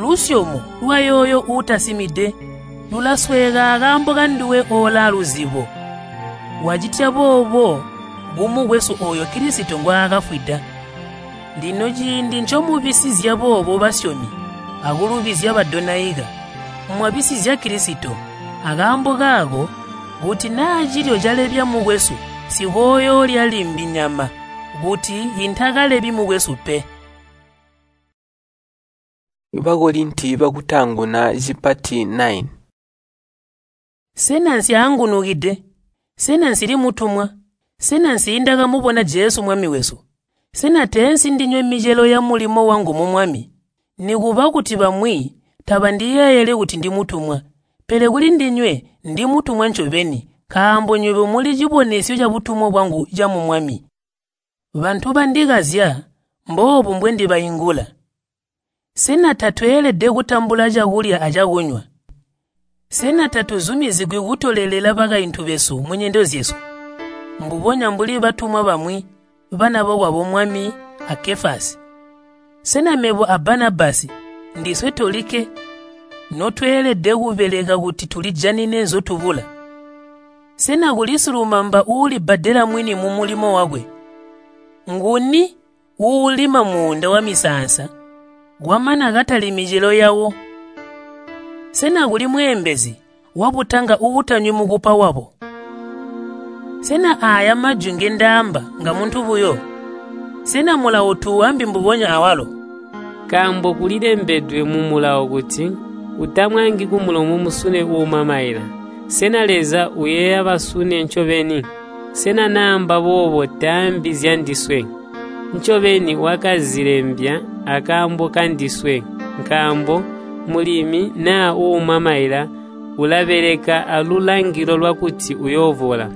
lusyomo lwayooyo uutasimide lulasweeka akaambo kanduwe oolaaluzibo. Wacitya boobo kumukwesu ooyo Kilisito ngwaakafwida. Lino ciindi ncomubisizya boobo basyomi akulubizya badonaika, mwabisizya Kilisito. Akaambo kaako, kuti naa cilyo calebya mukwesu, sikooyoolya limbi nyama, kuti intakalebi mukwesu pe. Bakorinti bakutaanguna cipati 9. Sena nsyaangunukide? Sena nsili mutumwa? Sena nsiindakamubona Jesu Mwami wesu? Sena teensi ndinywe micelo ya mulimo wangu mu Mwami? Nikuba kuti bamwi tabandiyeeyeli kuti ndimutumwa, pele kuli ndinywe ndimutumwa ncobeni, nkaambo nywebo muli cibonesyo cabutumwa bwangu camu Mwami. Bantu bandikazya, mboobu mbwendibaingula. Sena tatweelede kutambula cakulya acakunywa? Sena tatuzumizigwi kutolelela bakaintu besu munyendo zyesu, mbubonya mbuli batumwa bamwi, bana bokwabo Mwami a Kefasi? Sena mebo a Banabasi ndiswe tolikke notweelede kubeleka kuti tulijanine nzotubula? Sena kuli silumamba uulibbadela mwini mumulimo wakwe? Nguni uulima muunda wamisaansa kwamana katali micelo yawo? Sena kuli mweembezi wabutanga uutanywi mukupa wabo? Sena aaya majwi ngendaamba nga muntu buyo? Sena mulawo tuuambi mbubonya awalo? Nkaambo kulilembedwe mu mulawo kuti, utamwaangi kumulomo musune uuma maila. Sena Leza uyeeya basune ncobeni? Sena naamba boobo taambi zyandiswe? Ncobeni wakazilembya akaambo kandiswe, nkaambo mulimi naa uuma maila ulabeleka alulangilo lwakuti uyoovola.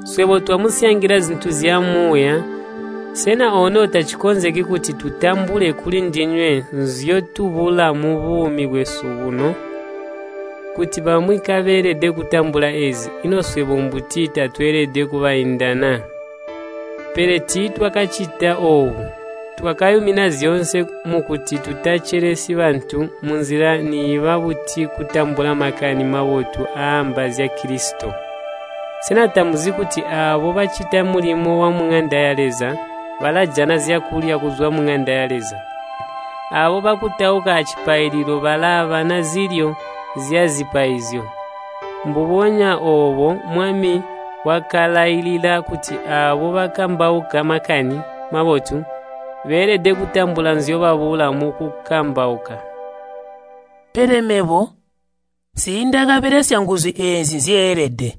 Swebo twamusyangila zintu zya Muuya, sena ono tacikonzeki kuti tutambule kulindinywe nzyotubula mubuumi bwesu buno? Kuti bamwi kabeelede kutambula eezi, ino swebo mbuti tatweelede kubaindana? Pele tiitwakacita oobu. Twakayumina zyoonse mukuti tutacelesyi bantu munzila niiba buti kutambula Makani Mabotu aamba zya Kilisito. Sena tamuzi kuti aabo bacita mulimo wamuŋanda ya Leza balajana zyakulya kuzwa muŋanda ya Leza? Aabo bakutauka acipaililo balaabana zilyo zyazipaizyo. Mbubonya oobo Mwami wakalailila kuti aabo bakambauka Makani Mabotu beelede kutambula nzyobabula mukukambauka. Pele mebo nsiindakabelesya nguzu eezi nzyeelede.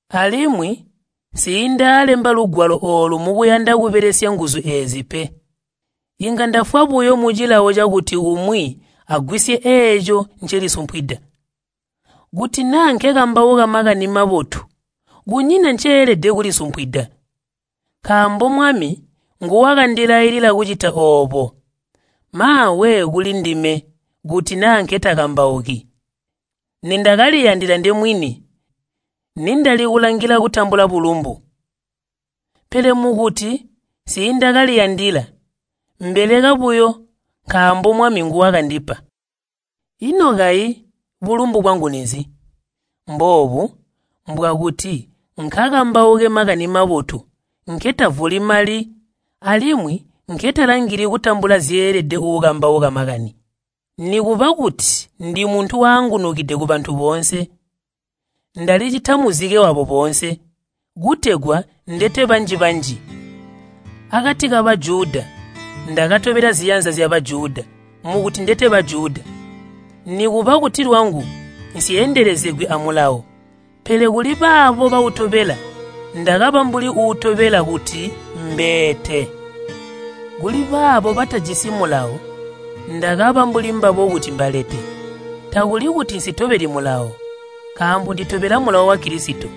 Alimwi nsiindaalemba lugwalo oolu mukuyanda kubelesya nguzu eezi pe. Inga ndafwa buyo mucilawo cakuti umwi agwisye eeco ncelisumpwida. Kuti naa nkekambauka Makani Mabotu, kunyina nceelede kulisumpwida. Nkaambo Mwami nguwakandilailila kucita oobo. Maawe kulindime kuti naa nketakambauki. Nindakaliyandila ndemwini, nindali kulangila kutambula bulumbu. Pele mukuti nsiindakaliyandila, mbeleka buyo nkaambo Mwami nguwakandipa. Ino kayi bulumbu bwangu ninzi? Mboobu mbwakuti nkakambauke Makani Mabotu nketavuli mali alimwi nketalangili kutambula zyeelede uukambauka makani. Nikuba kuti ndi muntu waangunukide kubantu boonse, ndalicita muzike wabo boonse, kutegwa ndete banji-banji. Akati ka Bajuda ndakatobela ziyanza zya Bajuda mukuti ndete Bajuda. Nikuba kuti lwangu nsyendelezegwi amulawo, pele kuli baabo bautobela ndakaba mbuli uutobela kuti mbeete. Kuli baabo batajisi mulawo ndakaba mbuli mbabo kuti mbalete. Takuli kuti nsitobeli mulawo, nkaambo nditobela mulawo wa Kilisito.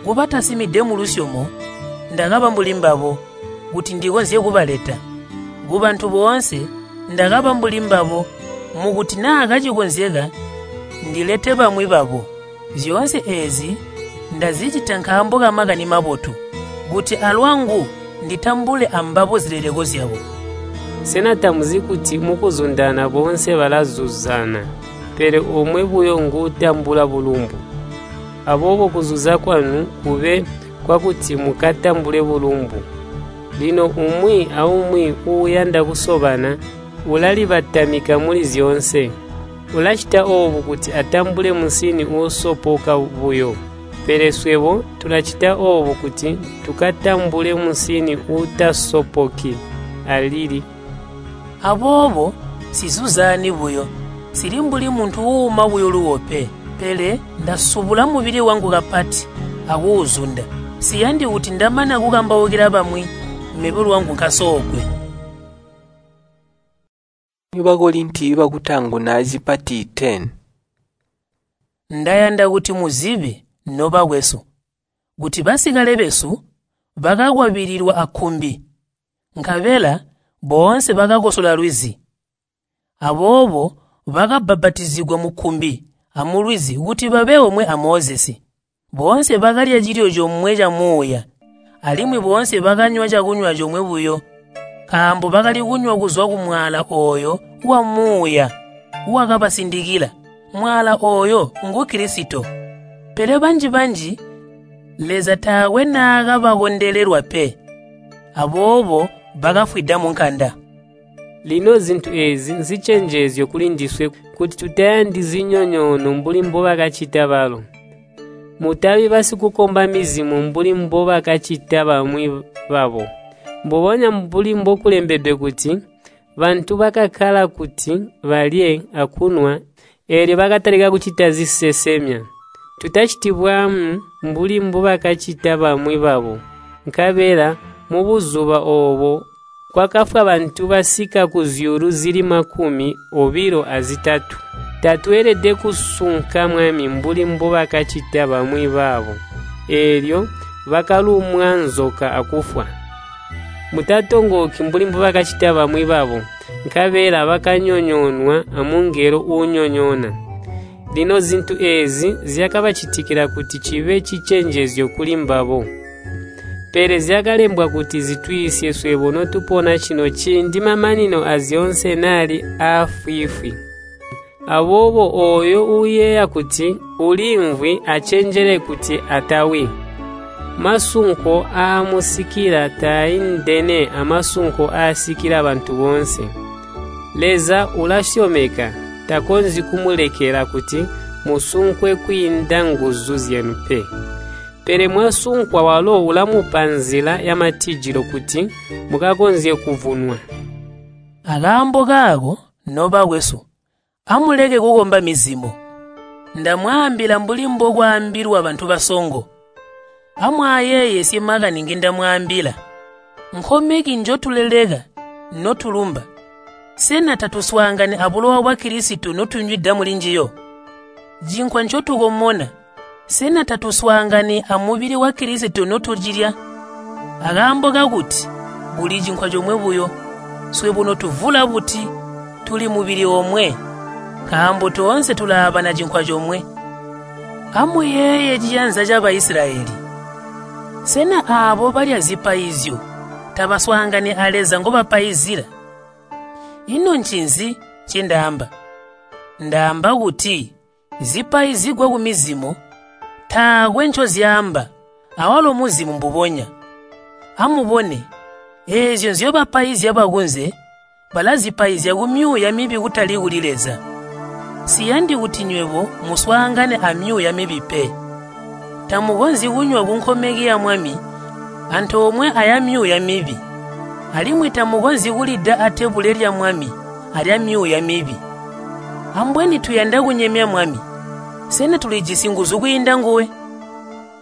Kubatasimide mulusyomo ndakaba mbuli mbabo kuti ndikonzye kubaleta. Kubantu boonse ndakaba mbuli mbabo mukuti naa kacikonzeka ndilete bamwi babo. Zyoonse eezi ndazicita nkaambo ka Makani Mabotu, kuti alwangu nditambule ambabo zileleko zyabo. Sena tamuzi kuti mukuzundana boonse balazuzana, pele omwe buyo nguutambula bulumbu? Aboobo kuzuza kwanu kube kwakuti mukatambule bulumbu. Lino umwi aumwi uuyanda kusobana ulalibatamika muli zyoonse. Ulacita oobu kuti atambule musini uusopoka buyo. Pele swebo tulacita oobu kuti tukatambule musini uutasopoki alili. Aboobo nsizuzani buyo, nsili mbuli muntu uuma buyo luwo pe, pele ndasubula mubili wangu kapati akuuzunda. Siyandi kuti ndamana kukambaukila bamwi, mebo lwangu nkasoogwe. Bakorinti bakutaanguna zipati 10. Ndayanda kuti muzibe, nobakwesu, kuti basikale besu bakakwabililwa akkumbi, nkabela boonse bakakosola lwizi. Aboobo bakabbapatizigwa mukkumbi amulwizi kuti babe omwe a Mozesi. Boonse bakalya cilyo comwe ca muuya, alimwi boonse bakanywa cakunywa comwe buyo, nkaambo bakali kunywa kuzwa kumwaala ooyo wa muuya wakabasindikila. Mwaala ooyo ngu Kilisito. Pele banji-banji Leza taakwe naakabakondelelwa pe, aboobo bakafwida munkanda. Lino zintu eezi nzicenjezyo kulindiswe kuti tutayandi zinyonyoono mbuli mbobakacita balo. Mutabi basikukomba mizimo mbuli mbobakacita bamwi babo. Mbubonya mbuli mbokulembedwe kuti, bantu bakakkala kuti balye akunwa, eelyo bakatalika kucita zisesemya. Tutaciti bwaamu mbuli mbubakacita bamwi babo. Nkabela mubuzuba oobo kwakafwa bantu basika kuzyuulu zili 23. Tatweelede kusunka Mwami mbuli mbubakacita bamwi babo. Eelyo Bakalumwa nzoka akufwa. Mutatongooki mbuli mbubakacita bamwi babo, nkabela bakanyonyoonwa amungelo uunyonyoona. Lino zintu eezi zyakabacitikila kuti cibe cicenjezyo kuli mbabo. Pele zyakalembwa kuti zitwiisye swebo notupona cino ciindi mamanino azyoonse naali aafwiifwi. Aboobo ooyo uuyeeya kuti uliimvwi acenjele kuti atawi. Masunko aamusikila taaindene amasunko aasikila bantu boonse. Leza ulasyomeka, takonzyi kumulekela kuti musunkwe kwiinda nguzu zyenu pe. Pele mwasunkwa walo ulamupa nzila yamatijilo kuti mukakonzye kuvunwa. Akaambo kaako, nobakwesu, amuleke kukomba mizimo. Ndamwaambila mbuli mbokwaambilwa bantu basongo. Amwaayeeyesye makani ngindamwaambila. Nkomeki njotuleleka notulumba, sena tatuswaangani abulowa bwa Kilisito notunywida mulinjiyo? Cinkwa ncotukomona, sena tatuswaangani amubili wa Kilisito notucilya? Akaambo kakuti kuli cinkwa comwe buyo, swebo notuvula buti tuli mubili omwe, nkaambo toonse tulaabana cinkwa comwe. Amuyeeye ciyanza ca Baisilayeli. Sena aabo balya zipaizyo tabaswaangani a Leza ngobapaizila? Ino ncinzi ncendaamba? Ndaamba kuti zipaizigwa kumizimo taakwe ncozyaamba, awalo muzimu mbubonya. Amubone, eezyo nzyobapaizya bakunze balazipaizya kumyuuya mibi kutali kuli Leza. Siyandi kuti nywebo muswaangane amyuuya mibi pe. Tamukonzyi kunywa kunkomeki ya Mwami antoomwe aya myuuya mibi, alimwi tamukonzyi kulida atebule lya Mwami alya myuuya mibi. Ambweni tuyanda kunyemya Mwami. Sena tulijisi nguzu kwiinda nguwe?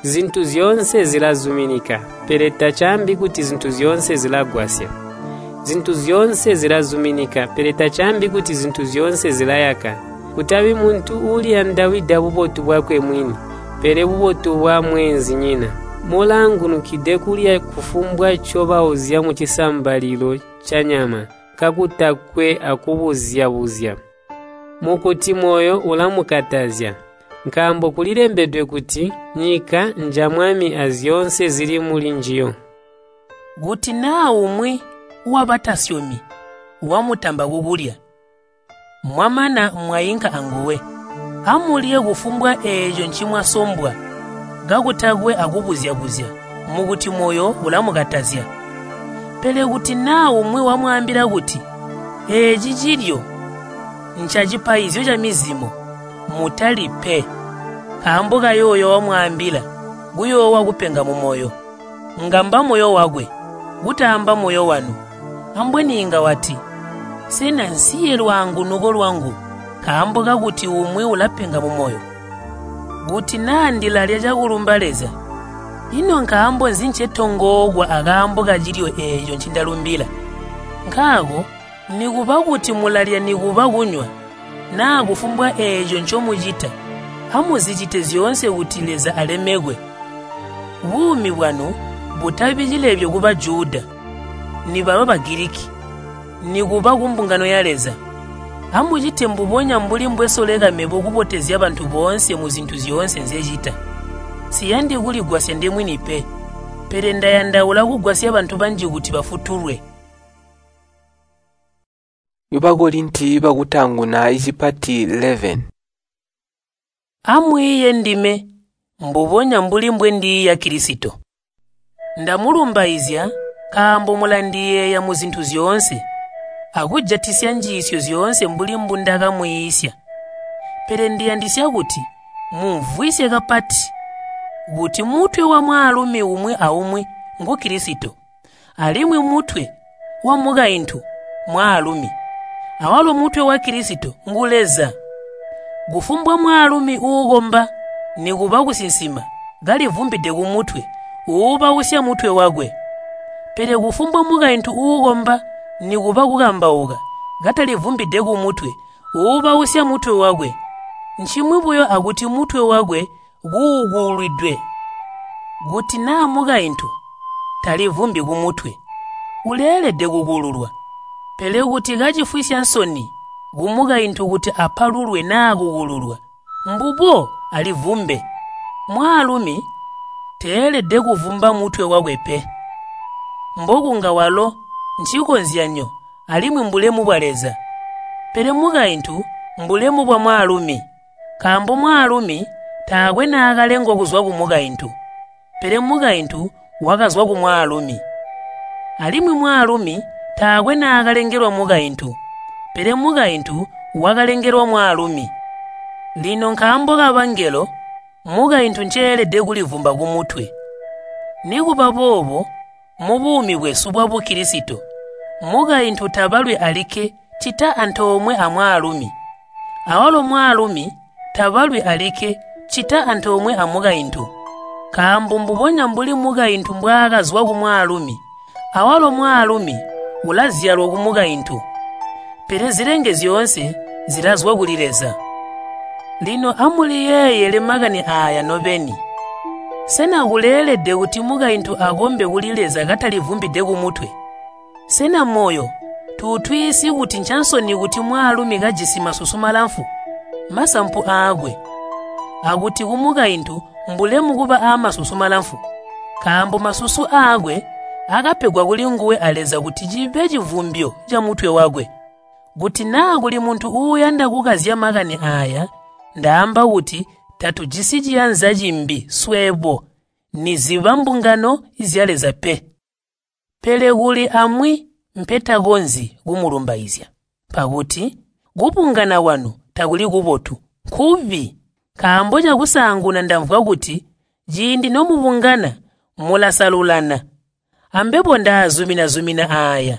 Zintu zyoonse zilazuminika, pele tacaambi kuti zintu zyoonse zilagwasya. Zintu zyoonse zilazuminika, pele tacaambi kuti zintu zyoonse zilayaka. Kutabi muntu uuliyandawida bubotu bwakwe mwini, pele bubotu bwa mweenzinyina. Mulaangunukide kulya kufumbwa ncobauzya mucisambalilo canyama, kakutakwe akubuzya-buzya. Mukuti moyo ulamukatazya, nkaambo kulilembedwe kuti, nyika nja Mwami azyoonse zili mulinjiyo. Kuti naa umwi wabatasyomi wamutamba kukulya, mwamana mwainka anguwe, amulye kufumbwa eeco ncimwasombwa, kakutakwe akubuzya-buzya, mukuti moyo ulamukatazya. Pele kuti naa umwi wamwaambila kuti, eeci cilyo ncacipaizyo ca mizimo, mutalyi pe, nkaambo kayooyo wamwaambila kuyoowa kupenga mumoyo. Ngamba moyo wakwe, kutaamba moyo wanu. Ambweni inga wati, sena nsiye lwaangunuko lwangu nkaambo kakuti umwi ulapenga mumoyo? Kuti naa ndilalya cakulumba Leza, ino nkaambo nzi ncetongookwa akaambo kacilyo eeco ncindalumbila? Nkaako nikuba kuti mulalya nikuba kunywa, naa kufumbwa eeco ncomucita, amuzicite zyoonse kuti Leza alemekwe. Buumi bwanu butabi cilebyo ku Bajuda, nibaba Bagiliki, nikuba kumbungano ya Leza. Amucite mbubonya mbuli mbwesoleka mebo kubotezya bantu boonse muzintu zyoonse nzyecita. Siyandi kuligwasya ndemwini pe, pele ndayandaula kugwasya bantu banji kuti bafutulwe. Bakorinti bakutanguna icipati 11. Amwiiye ndime mbubonya mbuli mbwendiiya Kilisito. Ndamulumbaizya nkaambo mulandiyeeya muzintu zyoonse, akujatisya njiisyo zyoonse mbuli mbundakamwiisya. Pele ndiyandisya kuti mumvwisye kapati kuti mutwe wa mwaalumi umwi aumwi ngu Kilisito, alimwi mutwe wa mukaintu mwaalumi, awalo mutwe wa Kilisito ngu Leza. Kufumbwa mwaalumi uukomba nikuba kusinsima kalivumbide kumutwe, uubausya mutwe wakwe. Pele kufumbwa mukaintu uukomba nikuba kukambauka katalivumbide kumutwe, uubausya mutwe wakwe. Ncimwi buyo akuti mutwe wakwe kuukulwidwe. Kuti naa mukaintu talivumbi kumutwe, uleelede kukululwa. Pele kuti kacifwisya nsoni kumukaintu kuti apalulwe naa kukululwa, mbubo alivumbe. Mwaalumi teelede kuvumba mutwe wakwe pe, mbokunga walo ncikozyanyo alimwi mbulemu bwa Leza. Pele mukaintu mbulemu bwa mwaalumi, nkaambo mwaalumi taakwe naakalengwa kuzwa kumukaintu, pele mukaintu wakazwa kumwaalumi. Alimwi mwaalumi taakwe naakalengelwa mukaintu, pele mukaintu wakalengelwa mwaalumi. Lino nkaambo kabangelo, mukaintu nceelede kulivumba kumutwe. Nikuba boobo, mubuumi bwesu bwa Bukilisito, mukaintu tabalwi alikke ccita antoomwe amwaalumi. Awalo mwaalumi tabalwi alikke ccita antoomwe amukaintu. Nkaambo mbubonya mbuli mukaintu mbwaakazwa kumwaalumi, awalo mwaalumi ulazyalwa kumukaintu. Pele zilenge zyoonse zilazwa kuli Leza. Lino amuliyeeyele makani aaya nobeni. Sena kuleelede kuti mukaintu akombe kuli Leza katalivumbide kumutwe? Sena moyo tuutwiisi kuti ncansoni kuti mwaalumi kajisi masusu malamfu, masampu aakwe, akuti kumukaintu mbulemu kuba aamasusu malamfu, nkaambo masusu aakwe akapegwa kulinguwe a Leza kuti cibe civumbyo camutwe wakwe. Kuti naa kuli muntu uuyanda kukazya makani aaya, ndaamba kuti tatujisi ciyanza cimbi swebo niziba mbungano zya Leza pe. Pele kuli amwi mpetakonzyi kumulumbaizya, pakuti kubungana kwanu takuli kubotu, nkubi. Nkaambo cakusaanguna ndamvwa kuti ciindi nomubungana mulasalulana. Ambebo ndaazumina-zumina aaya.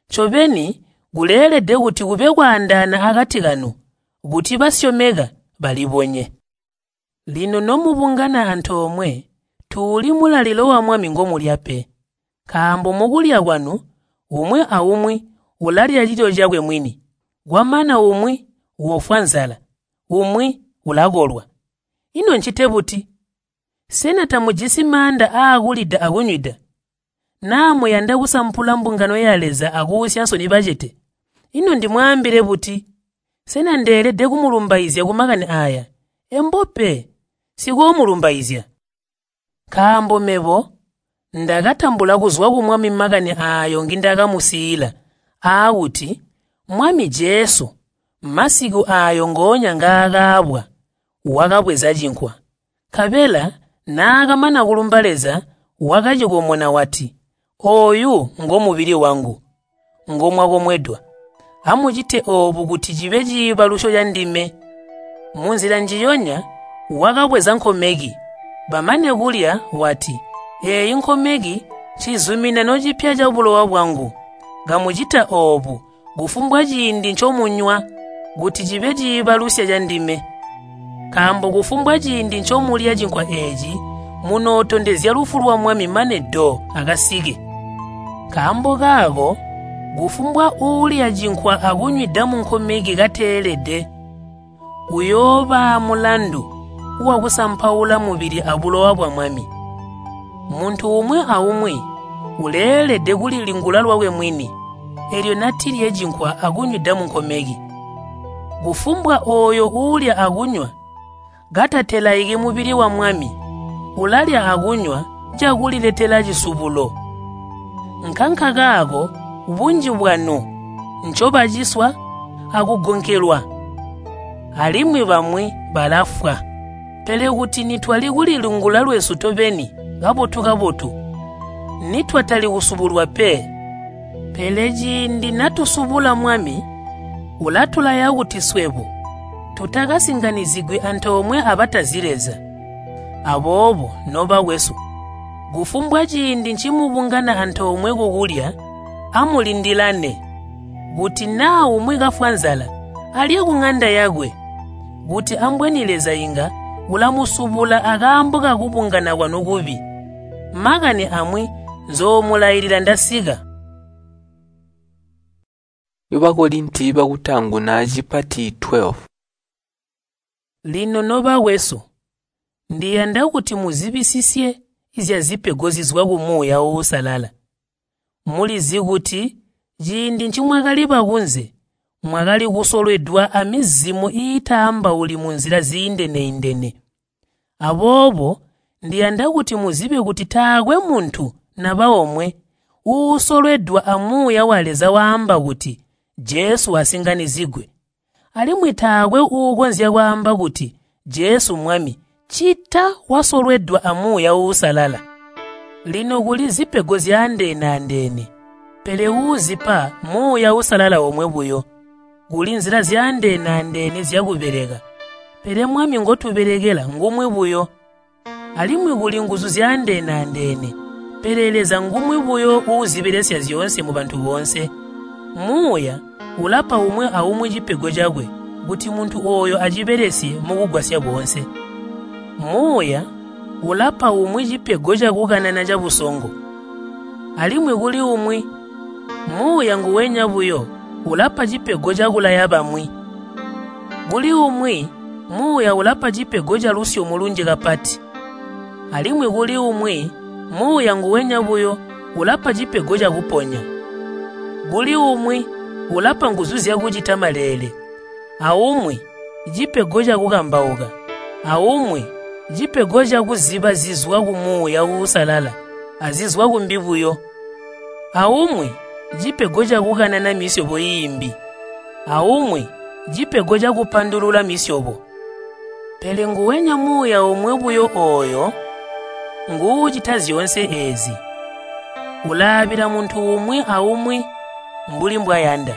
Ncobeni kuleelede kuti kube kwaandaana akati kanu, kuti basyomeka balibonye. Lino nomubungana antoomwe, tuuli mulalilo wa Mwami ngomulya pe. Nkaambo mukulya kwanu, umwi aumwi ulalya cilyo cakwe mwini. Kwamana umwi wofwa nzala, umwi ulakolwa. Ino ncite buti? Sena tamujisi maanda aakulida akunywida? Naa muyanda kusampula mbungano ya Leza akuusya nsoni bacete? Ino ndimwaambile buti? Sena ndeelede kumulumbaizya kumakani aaya? Embo pe, sikoomulumbaizya. Nkaambo mebo ndakatambula kuzwa ku Mwami makani aayo ngindakamusiila, aakuti Mwami Jesu masiku aayo ngoonya ngaakaabwa, wakabweza cinkwa. Nkabela naakamana kulumba Leza, wakacikomona wati, “Ooyu ngomubili wangu, ngomwakomwedwa. Amucite oobu kuti cibe ciibalusyo candime.” Munzila njiyonya wakabweza nkomeki, bamane kulya wati, “Eeyi nkomeki ncizuminano cipya cabulowa bwangu. Kamucita oobu kufumbwa ciindi ncomunywa kuti cibe ciibalusya candime.” Nkaambo kufumbwa ciindi ncomulya cinkwa eeci, munootondezya lufu lwa Mwami mane do akasike. Nkaambo kaako kufumbwa uulya cinkwa akunywida munkomeki kateelede, uyooba mulandu wakusampaula mubili abulowa bwa Mwami. Muntu umwi aumwi uleelede kulilingula lwakwe mwini, eelyo natilye cinkwa akunywida munkomeki. Kufumbwa ooyo uulya akunywa katatelaiki mubili wa Mwami, ulalya akunywa cakuliletela cisubulo. Nkankakaako bunji bwanu ncobaciswa akugonkelwa, alimwi bamwi balafwa. Pele kuti nitwali kulilingula lwesu tobeni kabotu-kabotu, nitwatali kusubulwa pe. Pele ciindi natusubula Mwami, ulatulaya kuti swebo tutakasinganizigwi antoomwe abatazi Leza. Aboobo nobakwesu, kufumbwa ciindi ncimubungana antoomwe kukulya, amulindilane. Kuti naa umwi kafwa nzala, alye kuŋanda yakwe, kuti ambweni Leza inga ulamusubula akaambo kakubungana kwanu kubi. Makani amwi nzoomulailila ndasika. Bakorinti bakutaanguna cipati 12. Lino nobakwesu, ndiyanda kuti muzibisisye zyazipego zizwa ku Muuya Uusalala. Mulizi kuti ciindi ncimwakali bakunze, mwakali kusolwedwa amizimu iitaambauli munzila ziindene-indene. Aboobo ndiyanda kuti muzibe kuti taakwe muntu naba omwe uusolwedwa a Muuya wa Leza waamba kuti, “Jesu asinganizigwe.” Alimwi taakwe uukonzya kwaamba kuti, “Jesu Mwami,” ccita wasolwedwa a Muuya Uusalala. Lino kuli zipego zyaandeene-andeene, pele uuzipa Muuya Uusalala omwe buyo. Kuli nzila zyaandeene-andeene zyakubeleka, pele Mwami ngotubelekela ngumwi buyo. Alimwi kuli nguzu zyaandeene-andeene, pele Leza ngumwi buyo uuzibelesya zyoonse mubantu boonse. Muuya ulapa umwi aumwi cipego cakwe kuti muntu ooyo acibelesye mukugwasya boonse. Muuya ulapa umwi cipego cakukanana cabusongo, alimwi kuli umwi, Muuya nguwenya buyo ulapa cipego cakulaya bamwi. Kuli umwi, Muuya ulapa cipego calusyomo lunji kapati, alimwi kuli umwi, Muuya nguwenya buyo ulapa cipego cakuponya. Kuli umwi ulapa nguzu zyakucita maleele, aumwi cipego cakukambauka, aumwi cipego cakuziba zizwa ku Muuya Uusalala azizwa kumbi buyo, aumwi cipego cakukanana misyobo iimbi, aumwi cipego cakupandulula misyobo. Pele nguwenya Muuya omwe buyo ooyo nguucita zyoonse eezi. Ulaabila muntu umwi aumwi mbuli mbwayanda.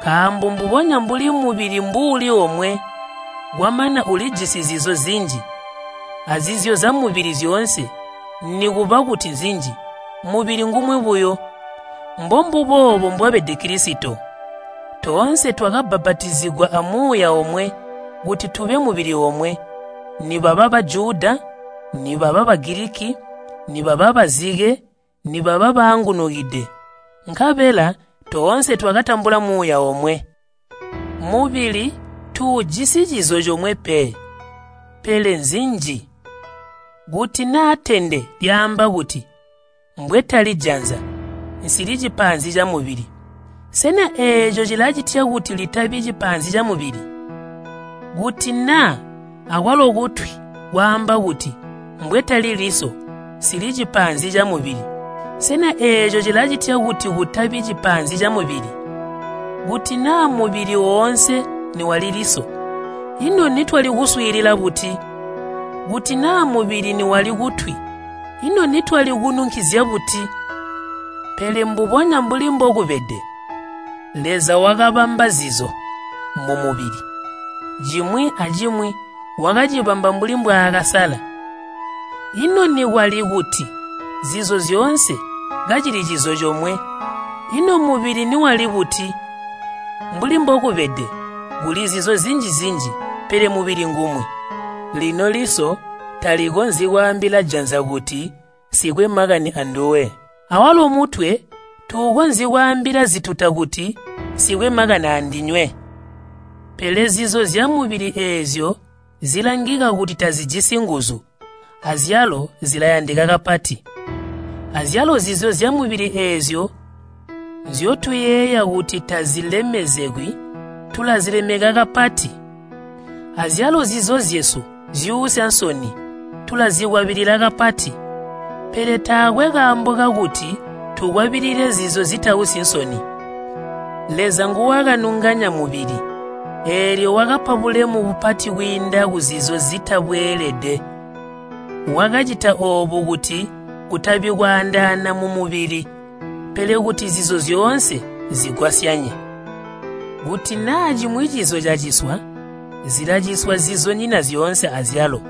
Nkaambo mbubonya mbuli mubili mbuuli omwe, kwamana ulijisi zizo zinji, azizyo zyamubili zyoonse nikuba kuti nzinji, mubili ngumwi buyo. Mbombuboobo mbwabede Kilisito. Toonse twakabbapatizigwa a Muuya omwe kuti tube mubili omwe, nibaba Bajuda, nibaba Bagiliki, nibaba bazike, nibaba baangunukide. Nkabela toonse twakatambula Muuya omwe. Mubili tuujisi cizo comwe pe, pele nzinji. Kuti naa tende lyaamba kuti, “Mbwetali janza, nsili cipaanzi camubili,” sena eeco cilacitya kuti litabi cipaanzi camubili? Kuti naa akwalo kutwi kwaamba kuti, “Mbwetali liso, nsili cipaanzi camubili,” sena eeco cilacitya kuti kutabi cipaanzi camubili? Kuti naa mubili woonse niwali liso, ino nitwali kuswiilila buti? Kuti naa mubili niwali kutwi, ino nitwali kununkizya buti? Pele mbubonya mbuli mbokubede, Leza wakabamba zizo mumubili, cimwi acimwi wakacibamba mbuli mbwaakasala. Ino nikwali kuti zizo zyoonse kacili cizo comwe, ino mubili niwali buti? Mbuli mbokubede, kuli zizo zinji-zinji, pele mubili ngumwi. Lino liso talikonzyi kwaambila janza kuti, “Nsikwe makani anduwe.” Awalo mutwe tuukonzyi kwaambila zituta kuti, “Nsikwe makani andinywe.” Pele zizo zyamubili eezyo zilangika kuti tazijisi nguzu, azyalo zilayandika kapati. Azyalo zizo zyamubili eezyo nzyotuyeeya kuti tazilemezegwi, tulazilemeka kapati. Azyalo zizo zyesu zyuusya nsoni, tulazikwabilila kapati. Pele taakwe kaambo kakuti tukwabilile zizo zitausyi nsoni. Leza nguwakanunganya mubili, eelyo wakapa bulemu bupati kwiinda kuzizo zitabweelede. Wakacita oobu kuti kutabi kwaandaana mumubili, pele kuti zizo zyoonse zigwasyanye. Kuti naa cimwi cizo caciswa, zilaciswa zizonyina zyoonse azyalo.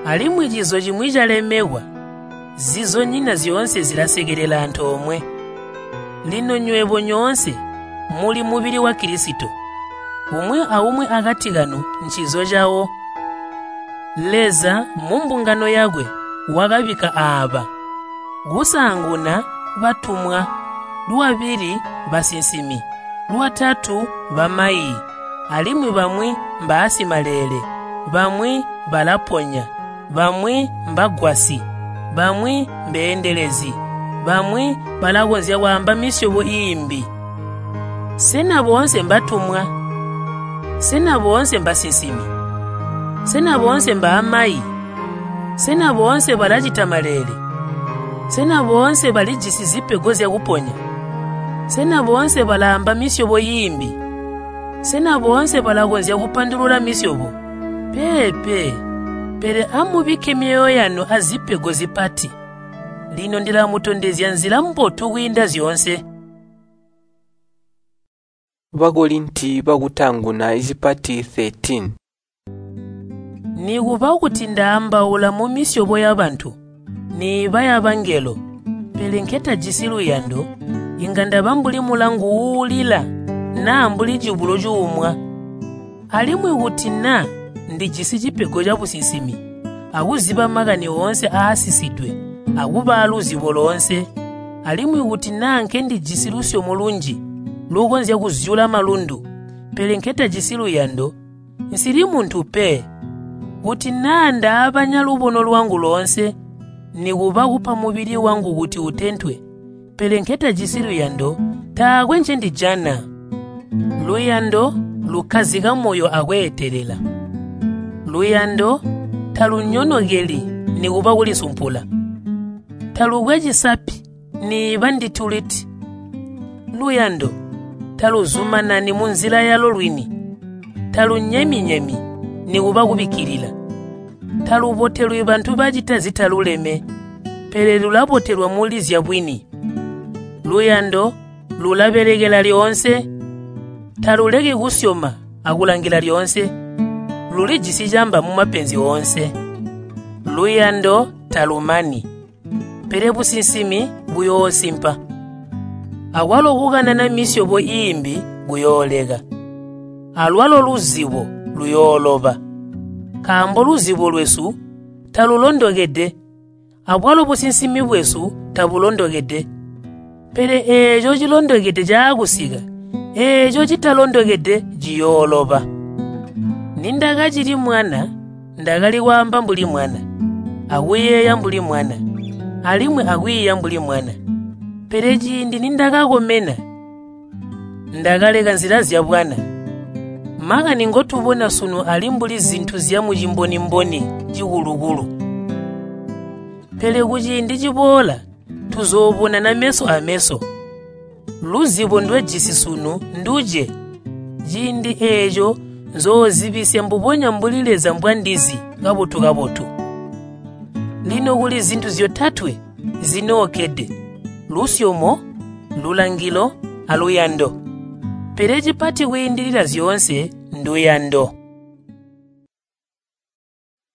Alimwi cizo cimwi calemekwa, zizonyina zyoonse zilasekelela antoomwe. Lino nywebo nyoonse muli mubili wa Kilisito, umwi aumwi akati kanu ncizo cawo. Leza mumbungano yakwe wakabikka aaba: kusaanguna batumwa, lwabili basinsimi, lwatatu bamaiyi, alimwi bamwi mbaasimalele, bamwi balaponya, bamwi mbagwasyi, bamwi mbeendelezi, bamwi balakonzya kwaamba misyobo iimbi. Sena boonse mbatumwa? Sena boonse mbasinsimi? Sena boonse mbaamayi? Sena boonse balacita maleele? Sena boonse balijisi zipego zyakuponya? Sena boonse balaamba misyobo iimbi? Sena boonse balakonzya kupandulula misyobo? Peepe, pele amubikke myoyo yanu azipego zipati. Lino ndilamutondezya nzila mbotu kwiinda zyoonse. Bakorinti bakutaanguna icipati 13. Nikuba kuti ndaambaula mumisyobo yabantu, niiba yabangelo, pele nketajisi luyando, inga ndaba mbuli mulangu uulila naa mbuli cibulo cuumwa. Alimwi kuti naa ndijisi cipego cabusinsimi, akuziba makani oonse aasisidwe, akuba aluzibo loonse, alimwi kuti naa nkendijisi lusyomo lunji lukonzya kuzyula malundu, pele nketajisi luyando, nsili muntu pe. Kuti naa ndaabanya lubono lwangu loonse, nikuba kupa mubili wangu kuti utentwe, pele nketajisi luyando, taakwe ncendijana. Luyando lukkazika moyo akweetelela. Luyando talunyonokeli nikuba kulisumpula. Talukwe cisapi niiba ndituliti. Luyando taluzumanani munzila yalo lwini. Talunyemi-nyemi nikuba kubikkilila. Talubotelwi bantu bacita zitaluleme, pele lulabotelwa muli zyabwini. Luyando lulabelekela lyoonse, taluleki kusyoma akulangila lyoonse. Lulijisi camba mumapenzi oonse. Luyando talumani, pele businsimi buyoosimpa. Akwalo kukanana misyobo iimbi kuyooleka. Alwalo luzibo luyooloba. Nkaambo luzibo lwesu talulondokede, abwalo businsimi bwesu tabulondokede. Pele eeco cilondokede caakusika, eeco citalondokede ciyooloba. Nindakacili mwana, ndakali kwaamba mbuli mwana, akuyeeya mbuli mwana, alimwi akwiiya mbuli mwana. Pele ciindi nindakakomena, ndakaleka nzila zyabwana. Makani ngotubona sunu ali mbuli zintu zyamucimbonimboni cikulukulu. Pele kuciindi ciboola tuzoobonana meso ameso. Luzibo ndwejisi sunu nduje. Ciindi eeco nzoozibisya mbubonya mbuli Leza mbwandizi kabotu-kabotu. Lino kuli zintu zyotatwe zinookede: lusyomo, lulangilo, aluyando. Pele cipati kwiindilila zyoonse nduyando.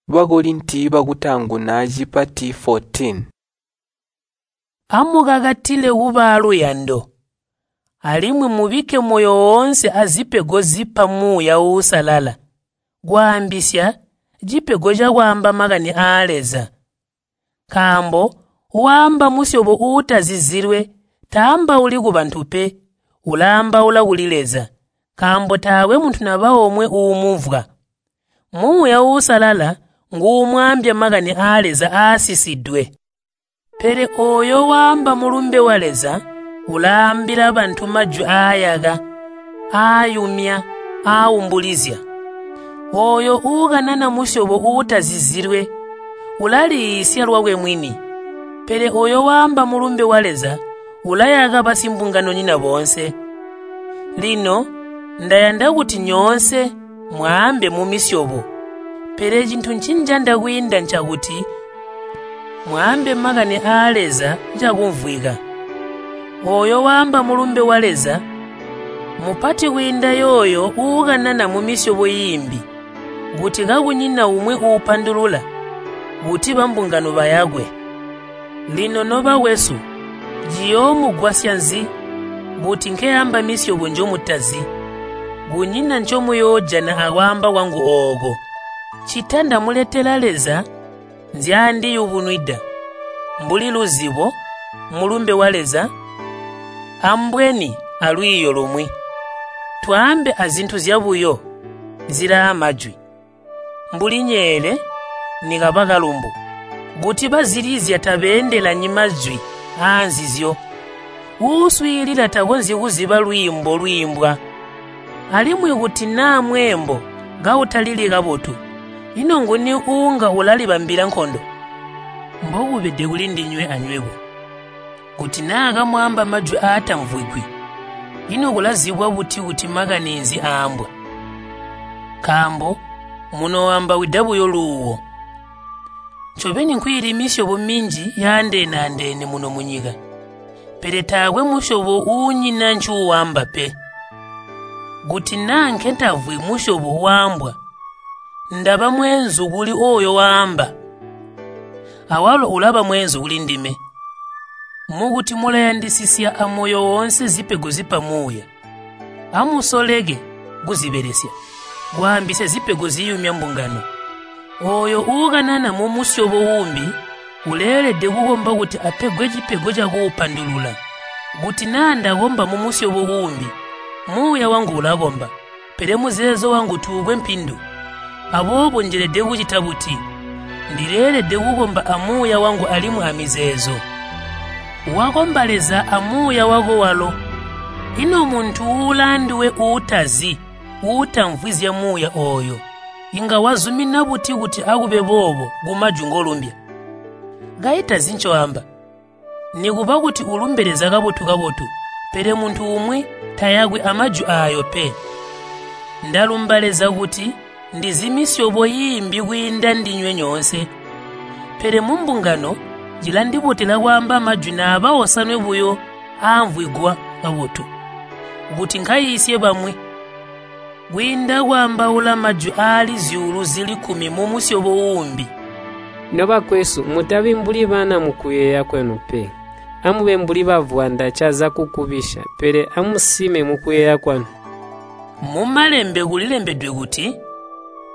Bakorinti bakutaanguna cipati 14. Amukakatile kuba aluyando, alimwi mubikke moyo woonse azipego zipa Muuya Uusalala, kwaambisya cipego cakwaamba makani aa Leza. Nkaambo waamba musyobo uutazizilwe taambauli kubantu pe, ulaambaula kuli Leza, nkaambo taakwe muntu naba omwe uumumvwa. Muuya Uusalala nguumwaambya makani aa Leza aasisidwe. Pele ooyo waamba mulumbe wa Leza ulaambila bantu majwi aayaka, aayumya, aaumbulizya. Ooyo uukanana musyobo uutazizilwe ulaliisya lwakwe mwini. Pele ooyo waamba mulumbe wa Leza ulayaka basimbunganonyina boonse. Lino ndayanda kuti nyoonse mwaambe mumisyobo, pele cintu ncinjanda kwiinda ncakuti mwaambe makani aa Leza cakumvwika. Ooyo waamba mulumbe wa Leza mupati kwiinda yooyo uukanana mumisyobo iimbi, kuti kakunyina umwi uupandulula, kuti bambungano bayakwe. Lino nobakwesu, ciyoomugwasya nzi kuti nkeamba misyobo njomutazi? Kunyina ncomuyoojana akwaamba kwangu ooko. Ccita ndamuletela Leza nzyaandiyubunwida, mbuli luzibo, mulumbe wa Leza, ambweni alwiiyo lumwi. Twaambe azintu zyabuyo zilaa majwi, mbuli nyeele nikaba kalumbu. Kuti bazilizya tabeendelanyi majwi aanzizyo, uuswiilila takonzyi kuziba lwiimbo lwiimbwa. Alimwi kuti naa mweembo kautalili kabotu, ino nguni uunga ulalibambila nkondo? Mbokubede kulindinywe anywebo. Kuti naa kamwaamba majwi aatamvwigwi, ino kulazibwa buti kuti makani nzi aambwa? Nkaambo munooambawida buyo luuwo. Ncobeni nkwiili misyobo minji yaandeene-andeene muno munyika, pele taakwe musyobo uunyina ncuuwamba pe. Kuti naa nkentamvwi musyobo waambwa, ndaba mweenzu kuli ooyo waamba, awalo ulaba mweenzu kulindime. Mukuti mulayandisisya amoyo woonse zipego zipa Muuya, amusoleke kuzibelesya, kwaambisya zipego ziyumya mbungano. Ooyo uukanana mumusyobo uumbi uleelede kukomba kuti apegwe cipego cakuupandulula. Kuti naa ndakomba mumusyobo uumbi, muuya wangu ulakomba, pele muzeezo wangu tuukwe mpindu. Aboobo njelede kucita buti? Ndileelede kukomba amuuya wangu alimwi amizeezo. Wakomba Leza amuuya wako walo. Ino muntu uulaanduwe uutazi, uutamvwi zya muuya ooyo, inga wazumina buti kuti akube boobo kumajwi ngolumbya? Kaitazi ncoamba. Nikuba kuti ulumbe Leza kabotu-kabotu, pele muntu umwi tayakwi amajwi aayo pe. Ndalumba Leza kuti ndizi misyobo iimbi kwiinda ndinywe nyoonse. Pele mumbungano cilandibotela kwaamba majwi naaba osanwe buyo aamvwigwa kabotu, kuti nkaiisye bamwi, kwiinda kwaambaula majwi aali 10,000 mumusyobo uumbi. Nobakwesu, mutabi mbuli bana mukuyeeya kwenu pe. Amube mbuli bavwanda caza kukubisya, pele amusime mukuyeeya kwanu. Mumalembe kulilembedwe kuti,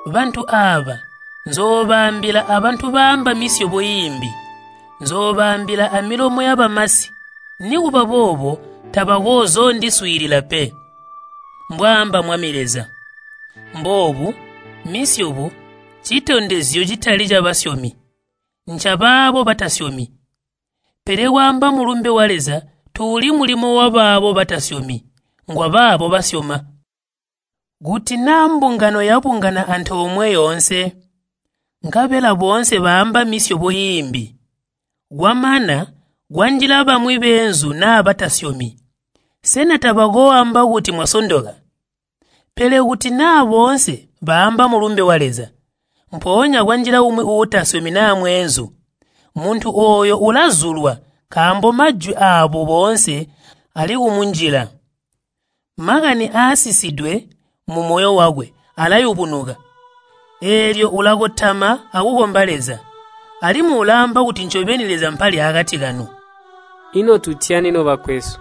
bantu aaba nzoobaambila abantu baamba misyobo iimbi, nzoobaambila amilomo yabamasi, nikuba boobo tabakozoondiswiilila pe, mbwaamba Mwami Leza. Mboobu misyobo citondezyo citali cabasyomi, ncabaabo batasyomi. Pele kwaamba mulumbe wa Leza tuuli mulimo wabaabo batasyomi, ngwabaabo basyoma. Kuti naa mbungano yabungana antoomwe yoonse, nkabela boonse baamba misyobo iimbi, kwamana kwanjila bamwi beenzu naa batasyomi, sena tabakooamba kuti mwasondoka? Pele kuti naa boonse baamba mulumbe wa Leza, mpoonya kwanjila umwi uutasyomi naa mweenzu, muntu ooyo ulazulwa nkaambo majwi aabo boonse ali kumunjila. Makani aasisidwe mumoyo wakwe alayubunuka, eelyo ulakotama akukomba Leza, alimwi ulaamba kuti ncobeni Leza mpali akati kanu. Ino tutyani nobakwesu?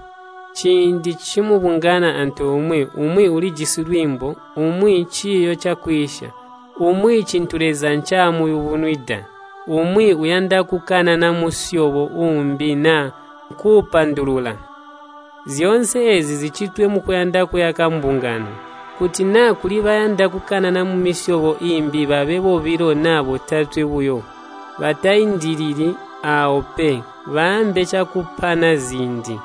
Ciindi cimubungana antoomwe, umwi ulijisi lwiimbo, umwi ciiyo cakwiisya, umwi cintu Leza ncaamuyubunwida, umwi uyanda kukanana musyobo uumbi naa kuupandulula. Zyoonse eezi zicitwe mukuyanda kuyaka mbungano. Kuti naa kuli bayanda kukanana mumisyobo iimbi babe bobilo naa botatwe buyo, bataindilili aawo pe, baambe cakupana ziindi.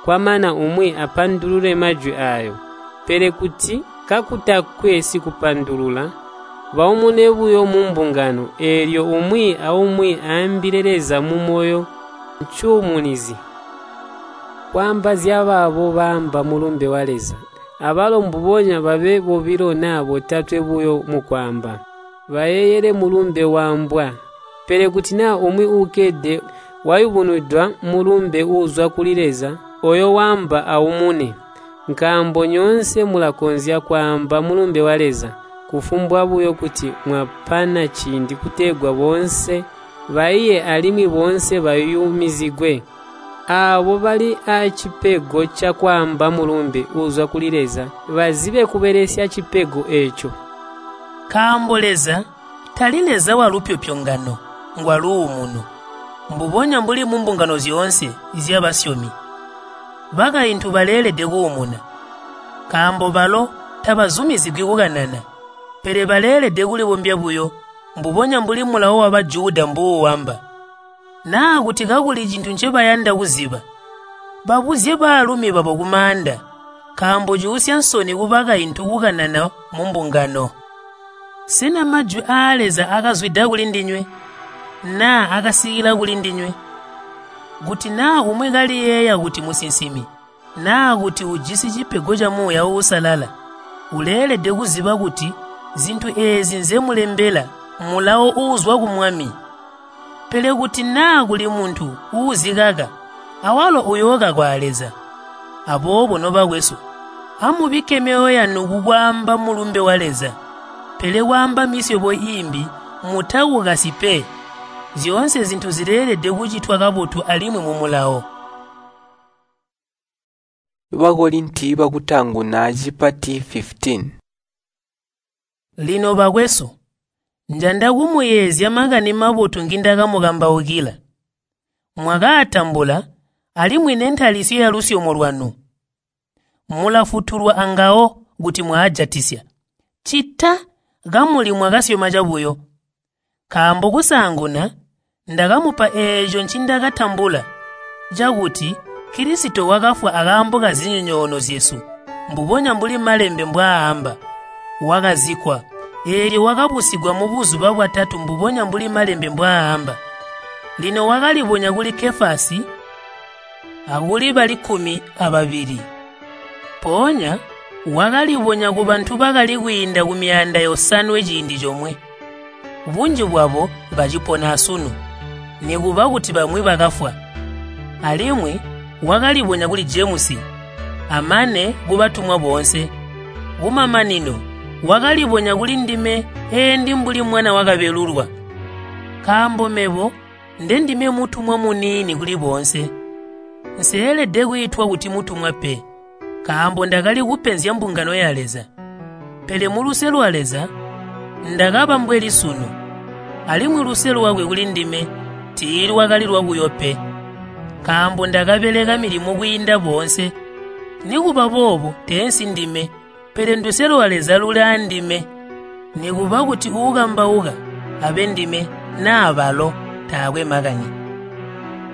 Kwamana umwi apandulule majwi aayo. Pele kuti kakutakwe sikupandulula, baumune buyo mumbungano, eelyo umwi aumwi aambile Leza mumoyo ncuumunizi. Kwaamba zyabaabo baamba mulumbe wa Leza, abalo mbubonya babe bobilo naa botatwe buyo mukwaamba, bayeeyele mulumbe waambwa. Pele kuti naa umwi uukkede wayubunwidwa mulumbe uuzwa kuli Leza, ooyo waamba aumune. Nkaambo nyoonse mulakonzya kwaamba mulumbe wa Leza, kufumbwa buyo kuti mwapana ciindi kutegwa boonse baiye alimwi boonse bayumizigwe. Aabo bali aacipego cakwaamba mulumbe uuzwa kuli Leza bazibe kubelesya cipego eeco. Nkaambo Leza tali Leza walupyopyongano, ngwa luumuno. Mbubonya mbuli mumbungano zyoonse zyabasyomi, bakaintu baleelede kuumuna, nkaambo balo tabazumizigwi kukanana, pele baleelede kulibombya buyo, mbubonya mbuli mulawo wa Bajuda mbuuwamba. Naa kuti kakuli cintu ncebayanda kuziba, babuzye baalumi babo kumaanda, nkaambo cuusya nsoni kubakaintu kukanana mumbungano. Sena majwi aa Leza akazwida kulindinywe, naa akasikila kulindinywe? Kuti naa umwi kaliyeeya kuti musinsimi, naa kuti ujisi cipego ca Muuya Uusalala, uleelede kuziba kuti zintu eezi nzemulembela mulawo uuzwa ku Mwami. Pele kuti naa kuli muntu uuzikaka, awalo uyookakwa a Leza. Aboobo nobakwesu, amubikke myoyo yanu kukwaamba mulumbe wa Leza. Pele kwaamba misyobo iimbi mutakukasyi pe. Zyoonse zintu zileelede kucitwa kabotu alimwi mumulawo. Bakorinti bakutaanguna cipati 15. Lino bakwesu, njanda kumuyeezya makani mabotu ngindakamukambaukila. Mwakaatambula alimwi nentalisyo yalusyomo lwanu. Mulafutulwa angawo kuti mwaajatisya, ccita kamuli mwakasyoma cabuyo. Nkaambo kusaanguna ndakamupa eeco ncindakatambula, cakuti Kilisito wakafwa akaambo kazinyonyoono zyesu, mbubonya mbuli Malembe mbwaamba. Wakazikkwa, eelyo wakabusigwa mubuzuba bwatatu mbubonya mbuli Malembe mbwaamba. Lino wakalibonya kuli Kefasi akuli bali 12. Mpoonya wakalibonya kubantu bakali kwiinda ku 500 ciindi comwe. Bunji bwabo bacipona asunu, nikuba kuti bamwi bakafwa. Alimwi wakalibonya kuli Jemusi, amane kubatumwa boonse. Kumamanino wakalibonya kuli ndime eendi mbuli mwana wakabelulwa. Nkaambo mebo ndendime mutumwa muniini kuli boonse. Nseelede kwiitwa kuti mutumwa pe, nkaambo ndakali kupenzya mbungano ya Leza. Pele muluse lwa Leza ndakaba mbweli sunu, alimwi luse lwakwe kulindime tiilwakali lwabuyo pe. Nkaambo ndakabeleka milimo kwiinda boonse. Nikuba boobo teensi ndime, pele nduse lwa Leza luli aandime. Nikuba kuti uukambauka abe ndime naa balo taakwe makani.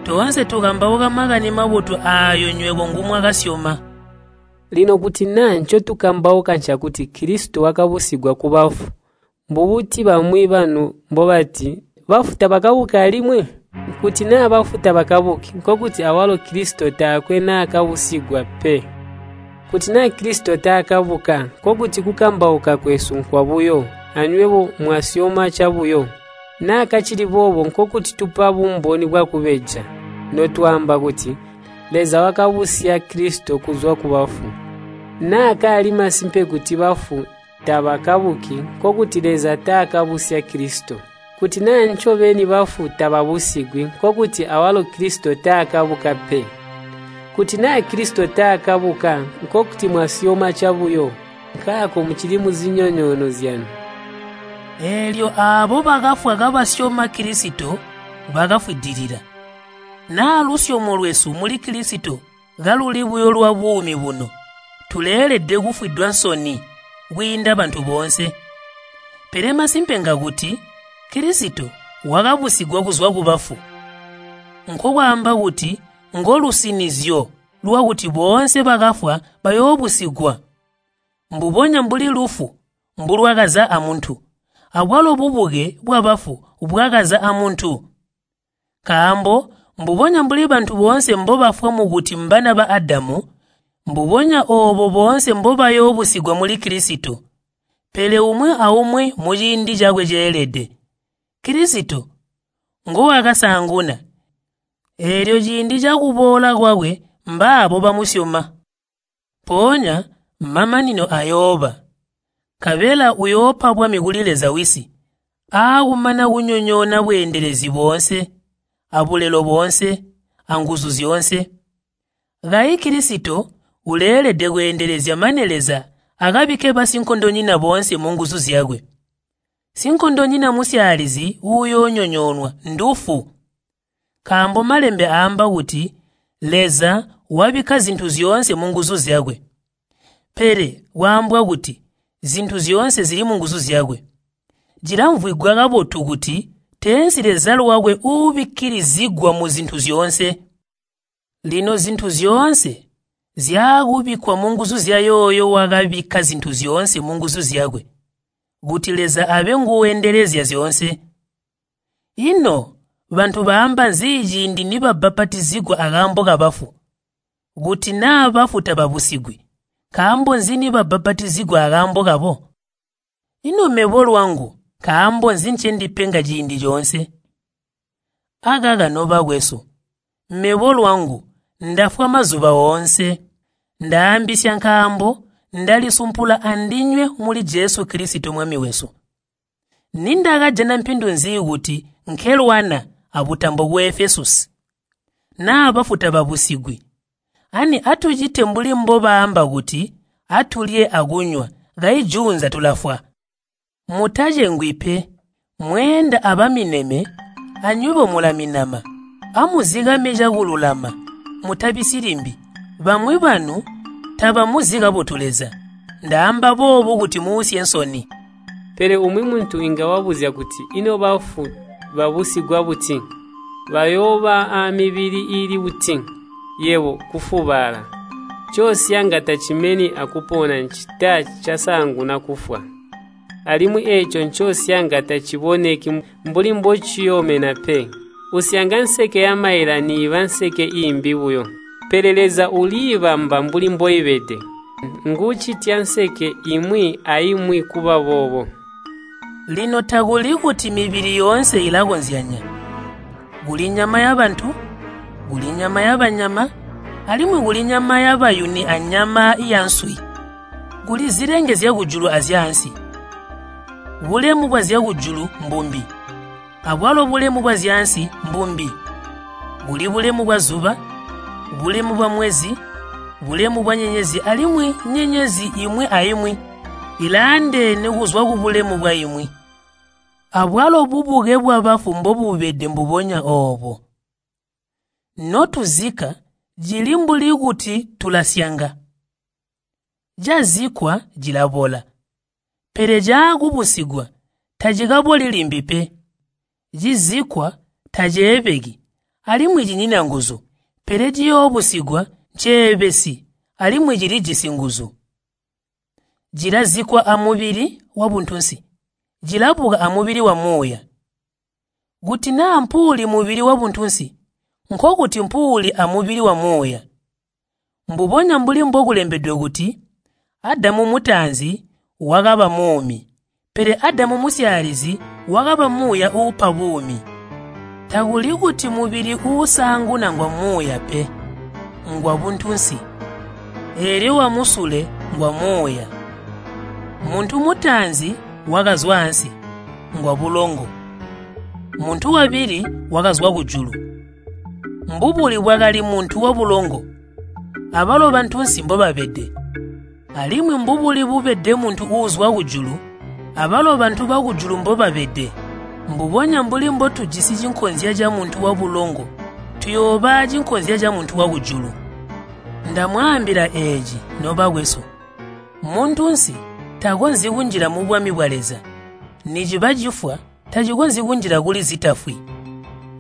Toonse tukambauka makani mabotu aayo nywebo ngumwakasyoma. Lino kuti naa ncotukambauka ncakuti Kilisito wakabusigwa kubafu, mbubuti bamwi banu mbobati bafu tabakabuki alimwi? Kuti naa bafu tabakabuki, nkokuti awalo Kilisito taakwe naakabusigwa pe. Kuti naa Kilisito taakabuka, nkokuti kukambauka kwesu nkwabuyo, anywebo mwasyoma cabuyo. Naa kacili boobo nkokuti tupa bumboni bwakubeja, notwaamba kuti Leza wakabusya Kilisito kuzwa kubafu. Naa kaali masimpe kuti bafu tabakabuki, nkokuti Leza taakabusya Kilisito. Kuti naa ncobeni bafu tababusigwi, nkokuti awalo Kilisito taakabuka pe. Kuti naa Kilisito taakabuka, nkokuti mwasyoma cabuyo, nkaako mucili muzinyonyoono zyanu. Eelyo aabo bakafwa kabasyoma Kilisito bakafwidilila. Naa lusyomo lwesu muli Kilisito kaluli buyo lwa buumi buno, tuleelede kufwidwa nsoni kwiinda bantu boonse. Pele masimpe ngakuti Kilisito wakabusigwa kuzwa kubafu. Nkokwaamba kuti ngolusinizyo lwakuti boonse bakafwa bayoobusigwa. Mbubonya mbuli lufu mbulwakaza amuntu, abwalo bubuke bwabafu bwakaza amuntu. Nkaambo mbubonya mbuli bantu boonse mbobafwa mukuti mbana ba Adamu, mbubonya oobo boonse mbobayoobusigwa muli Kilisito. Pele umwi aumwi muciindi cakwe ceelede. Kilisito ngowakasaanguna, eelyo ciindi cakuboola kwakwe mbaabo bamusyoma. Mpoonya mamanino ayooba, nkabela uyoopa bwami kuli Leza Wisi, aakumana kunyonyoona bweendelezi boonse, abulelo boonse, anguzu zyoonse. Kayi Kilisito uleelede kweendelezya mane Leza akabikke basinkondonyina boonse munguzu zyakwe. Sinkondonyina musyaalizi uuyoonyonyoonwa ndufu. Nkaambo Malembe aamba kuti Leza wabikka zintu zyoonse munguzu zyakwe. Pele kwaambwa kuti zintu zyoonse zili munguzu zyakwe. Cilamvwigwa kabotu kuti teensi Leza lwakwe uubikkilizigwa muzintu zyoonse. Lino zintu zyoonse zyaakubikkwa munguzu zyayooyo wakabikka zintu zyoonse munguzu zyakwe, kuti Leza abe nguwendelezya zyoonse. Ino bantu baamba nzi ciindi nibabbapatizigwa akaambo kabafu? Kuti naa bafu tababusigwi, nkaambo nzi nibabbapatizigwa akaambo kabo? Ino mebo lwangu nkaambo nzi ncendipenga ciindi coonse? Akaka nobakwesu, mebo lwangu ndafwa mazuba oonse. Ndaambisya nkaambo ndalisumpula andinywe muli Jesu Kilisito Mwami wesu. Nindakajana mpindu nzi kuti nkelwana abutambo ku Efesusi? Naa bafu tababusigwi, ani atucite mbuli mbobaamba kuti atulye akunywa kayi juunza tulafwa. Mutacengwi pe, mweenda abamineme, anywebo mulaminama. Amuzikame cakululama, mutabisyi limbi. Bamwi banu tabamuzi kabotu Leza. Ndaamba boobu kuti muusye nsoni. Pele umwi muntu inga wabuzya kuti, ino bafu babusigwa buti? Bayooba aamibili iili buti? Yebo kufubala. Ncosyanga tacimeni akupona ncita casaanguna kufwa. Alimwi eeco ncosyanga taciboneki mbuli mbociyoomena pe. Usyanga nseke yamaila niiba nseke iimbi buyo. Pele Leza uliibamba mbuli mboibede. Nguucitya nseke imwi aimwi kuba boobo. Lino takuli kuti mibili yoonse ilakonzyanya. Kuli nyama yabantu, kuli nyama yabanyama, alimwi kuli nyama yabayuni anyama yanswi. Kuli zilenge zyakujulu azyaansi. Bulemu bwazyakujulu mbumbi, abwalo bulemu bwazyaansi mbumbi. Kuli bulemu bwazuba, bulemu bwa mwezi, bulemu bwa nyenyezi alimwi nyenyezi imwi aimwi ilaandeene kuzwa kubulemu bwa imwi. Abwalo bubuke bwabafu mbobubede mbubonya oobo. Notuzikka cili mbuli kuti tulasyanga. Cazikkwa cilabola, pele caakubusigwa tacikaboli limbi pe. Cizikkwa taceebeki alimwi cinyina nguzu, pele ciyoobusigwa nceebesi alimwi cilijisi nguzu. Cilazikkwa amubili wabuntunsi, cilabuka amubili wa muuya. Kuti naa mpuuli mubili wabuntunsi, nkokuti mpuuli amubili wa muuya. Mbubonya mbuli mbokulembedwe kuti, Adamu mutaanzi wakaba muumi, pele Adamu musyaalizi wakaba muuya uupa buumi. Takuli kuti mubili uusaanguna ngwa muuya pe, ngwa buntunsi, eelyo wamusule ngwa muuya. Muntu mutaanzi wakazwa ansi, ngwa bulongo. Muntu wabili wakazwa kujulu. Mbubuli bwakali muntu wabulongo, abalo bantunsi mbobabede. Alimwi mbubuli bubede muntu uuzwa kujulu, abalo bantu bakujulu mbobabede. Mbubonya mbuli mbotujisi cinkonzya camuntu wabulongo, tuyooba cinkonzya camuntu wakujulu. Ndamwaambila eeci, nobakwesu, muntunsi takonzyi kunjila mu bwami bwa Leza, niciba cifwa tacikonzyi kunjila kuli zitafwi.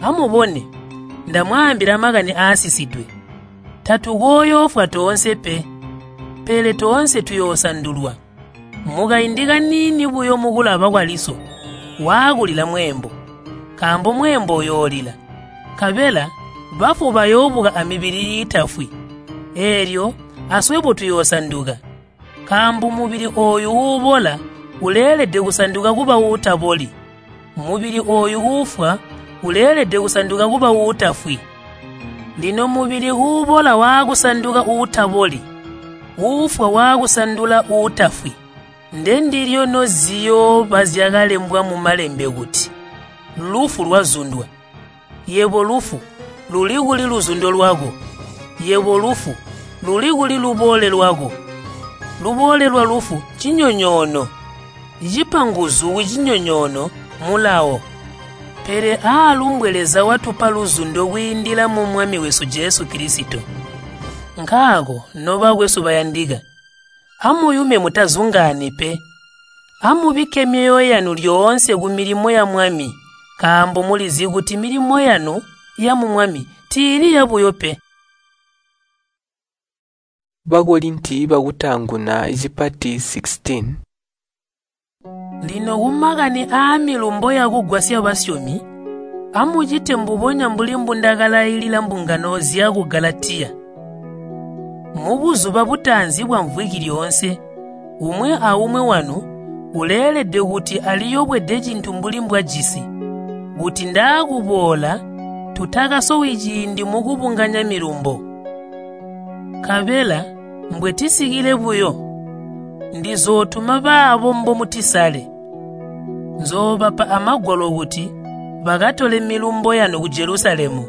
Amubone, ndamwaambila makani aasisidwe. Tatukooyoofwa toonse pe, pele toonse tuyoosandulwa. Mukaindi kaniini buyo mukulaba kwaliso, waakulila mweembo, nkaambo mweembo uyoolila, nkabela bafu bayoobuka amibili iitafwi. Eelyo aswebo tuyoosanduka, nkaambo mubili ooyu uubola uleelede kusanduka kuba uutaboli, mubili ooyu uufwa uleelede kusanduka kuba uutafwi. Lino mubili uubola waakusanduka uutaboli, uufwa waakusandula uutafwi, ndendilyo noziyooba zyakalembwa mumalembe kuti, lufu lwazundwa. Yebo lufu, luli kuli luzundo lwako? Yebo lufu, luli kuli luboole lwako? Luboole lwa lufu cinyonyoono, cipa nguzu kucinyonyoono mulawo. Pele aalumbwe Leza watupa luzundo kwiindila mu Mwami wesu Jesu Kilisito. Nkaako nobakwesu bayandika, amuyume mutazungaani pe. Amubikke myoyo yanu lyoonse kumilimo ya Mwami, Nkaambo mulizi kuti milimo yanu yamu Mwami tiili yabuyo pe. Bakolinti bakutaanguna cipati 16. Lino kumakani aamilumbo yakugwasya basyomi, amucite mbubonya mbuli mbundakalailila mbungano zyaku Galatiya. Mubuzuba butaanzi bwa mvwiki lyoonse, umwi aumwi wanu uleelede kuti aliyobwede cintu mbuli mbwajisi, kuti ndaakuboola tutakasowi ciindi mukubunganya milumbo. Nkabela mbwetisikile buyo, ndizootuma baabo mbomutisale. Nzoobapa amagwalo kuti bakatole milumbo yanu ku Jelusalemu.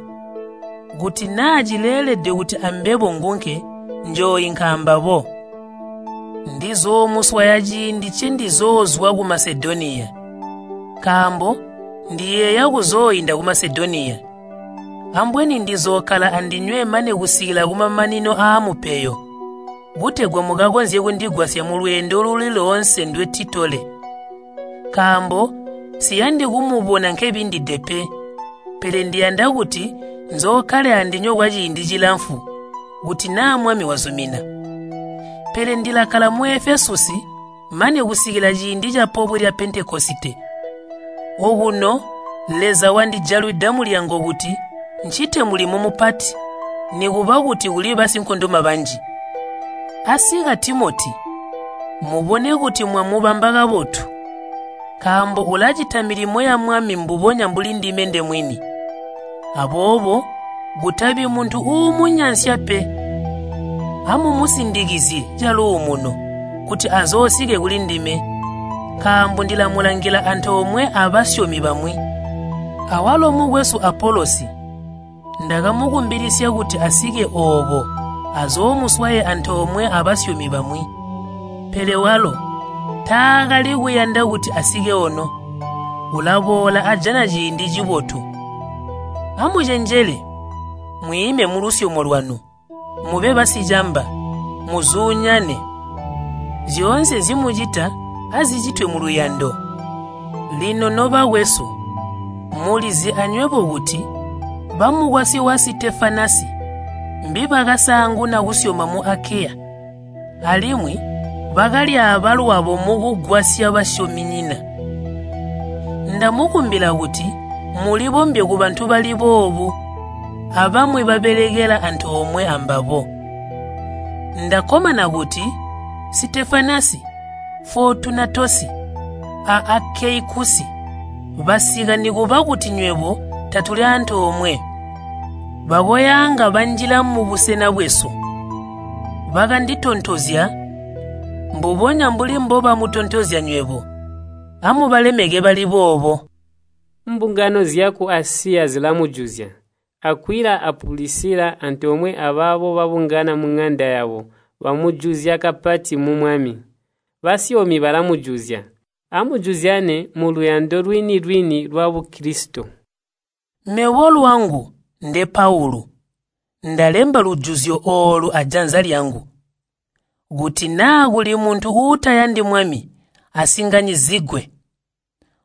Kuti naa cileelede kuti ambebo ngunke, njooinka ambabo. Ndizoomuswaya ciindi ncendizoozwa ku Masedoniya, nkaambo ndiyeeya kuzooinda ku Masedoniya. Ambweni ndizookkala andinywe mane kusikila kumamanino aamupeyo, kutegwa mukakonzye kundigwasya mulweendo luli loonse ndwetitole. Nkaambo nsiyandi kumubona nkebindide pe, pele ndiyanda kuti nzookkale andinywe kwaciindi cilamfu, kuti naa Mwami wazumina. Pele ndilakkala mu Efesusi mane kusikila ciindi ca pobwe lya Pentekosite. Okuno Leza wandijalwida mulyango kuti ncite mulimo mupati, nikuba kuti kuli basinkondoma banji. Asika Timoti, mubone kuti mwamubamba kabotu, nkaambo ulacita milimo ya Mwami mbubonya mbuli ndime ndemwini. Aboobo kutabi muntu uumunyansya pe. Amumusindikizye caluumuno kuti azoosike kulindime, nkaambo ndilamulangila antoomwe abasyomi bamwi. Awalo mukwesu Apolosi ndakamukumbilisya kuti asike ooko azoomuswaye antoomwe abasyomi bamwi. Pele walo taakali kuyanda kuti asike ono, ulaboola ajana ciindi cibotu. Amucenjele, mwiime mulusyomo lwanu, mube basicamba, muzuunyane. Zyoonse nzimucita azicitwe muluyando. Lino nobakwesu, mulizi anywebo kuti bamukwasyi wa Sitefanasi mbibakasaanguna kusyoma mu Akeya, alimwi bakalyaaba lwabo mukugwasya basyominyina. Ndamukumbila kuti mulibombye kubantu bali boobu, abamwi babelekela antoomwe ambabo. Ndakkomana kuti Sitefanasi, Fotunatosi a Akeikusi basika nikuba kuti nywebo tatuli antoomwe. Bakoyaanga banjila mubusena bwesu. Bakanditontozya mbubonya mbuli mbobamutontozya nywebo. Amubalemeke bali boobo. Mbungano zyaku Asiya zilamujuzya. Akwila a Pulisila antoomwe abaabo babungana muŋanda yabo bamujuzya kapati mu Mwami. Basyomi balamujuzya. Amujuzyane muluyando lwini-lwini lwa Bukilisito. Mebo lwangu nde Paulu, ndalemba lujuzyo oolu ajanza lyangu. Kuti naa kuli muntu uutayandi Mwami, asinganyizigwe.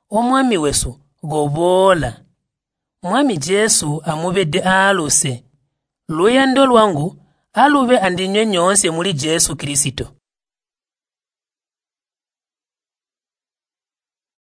O Mwami wesu, koboola. Mwami Jesu amubede aaluse. Luyando lwangu alube andinywe nyoonse muli Jesu Kilisito.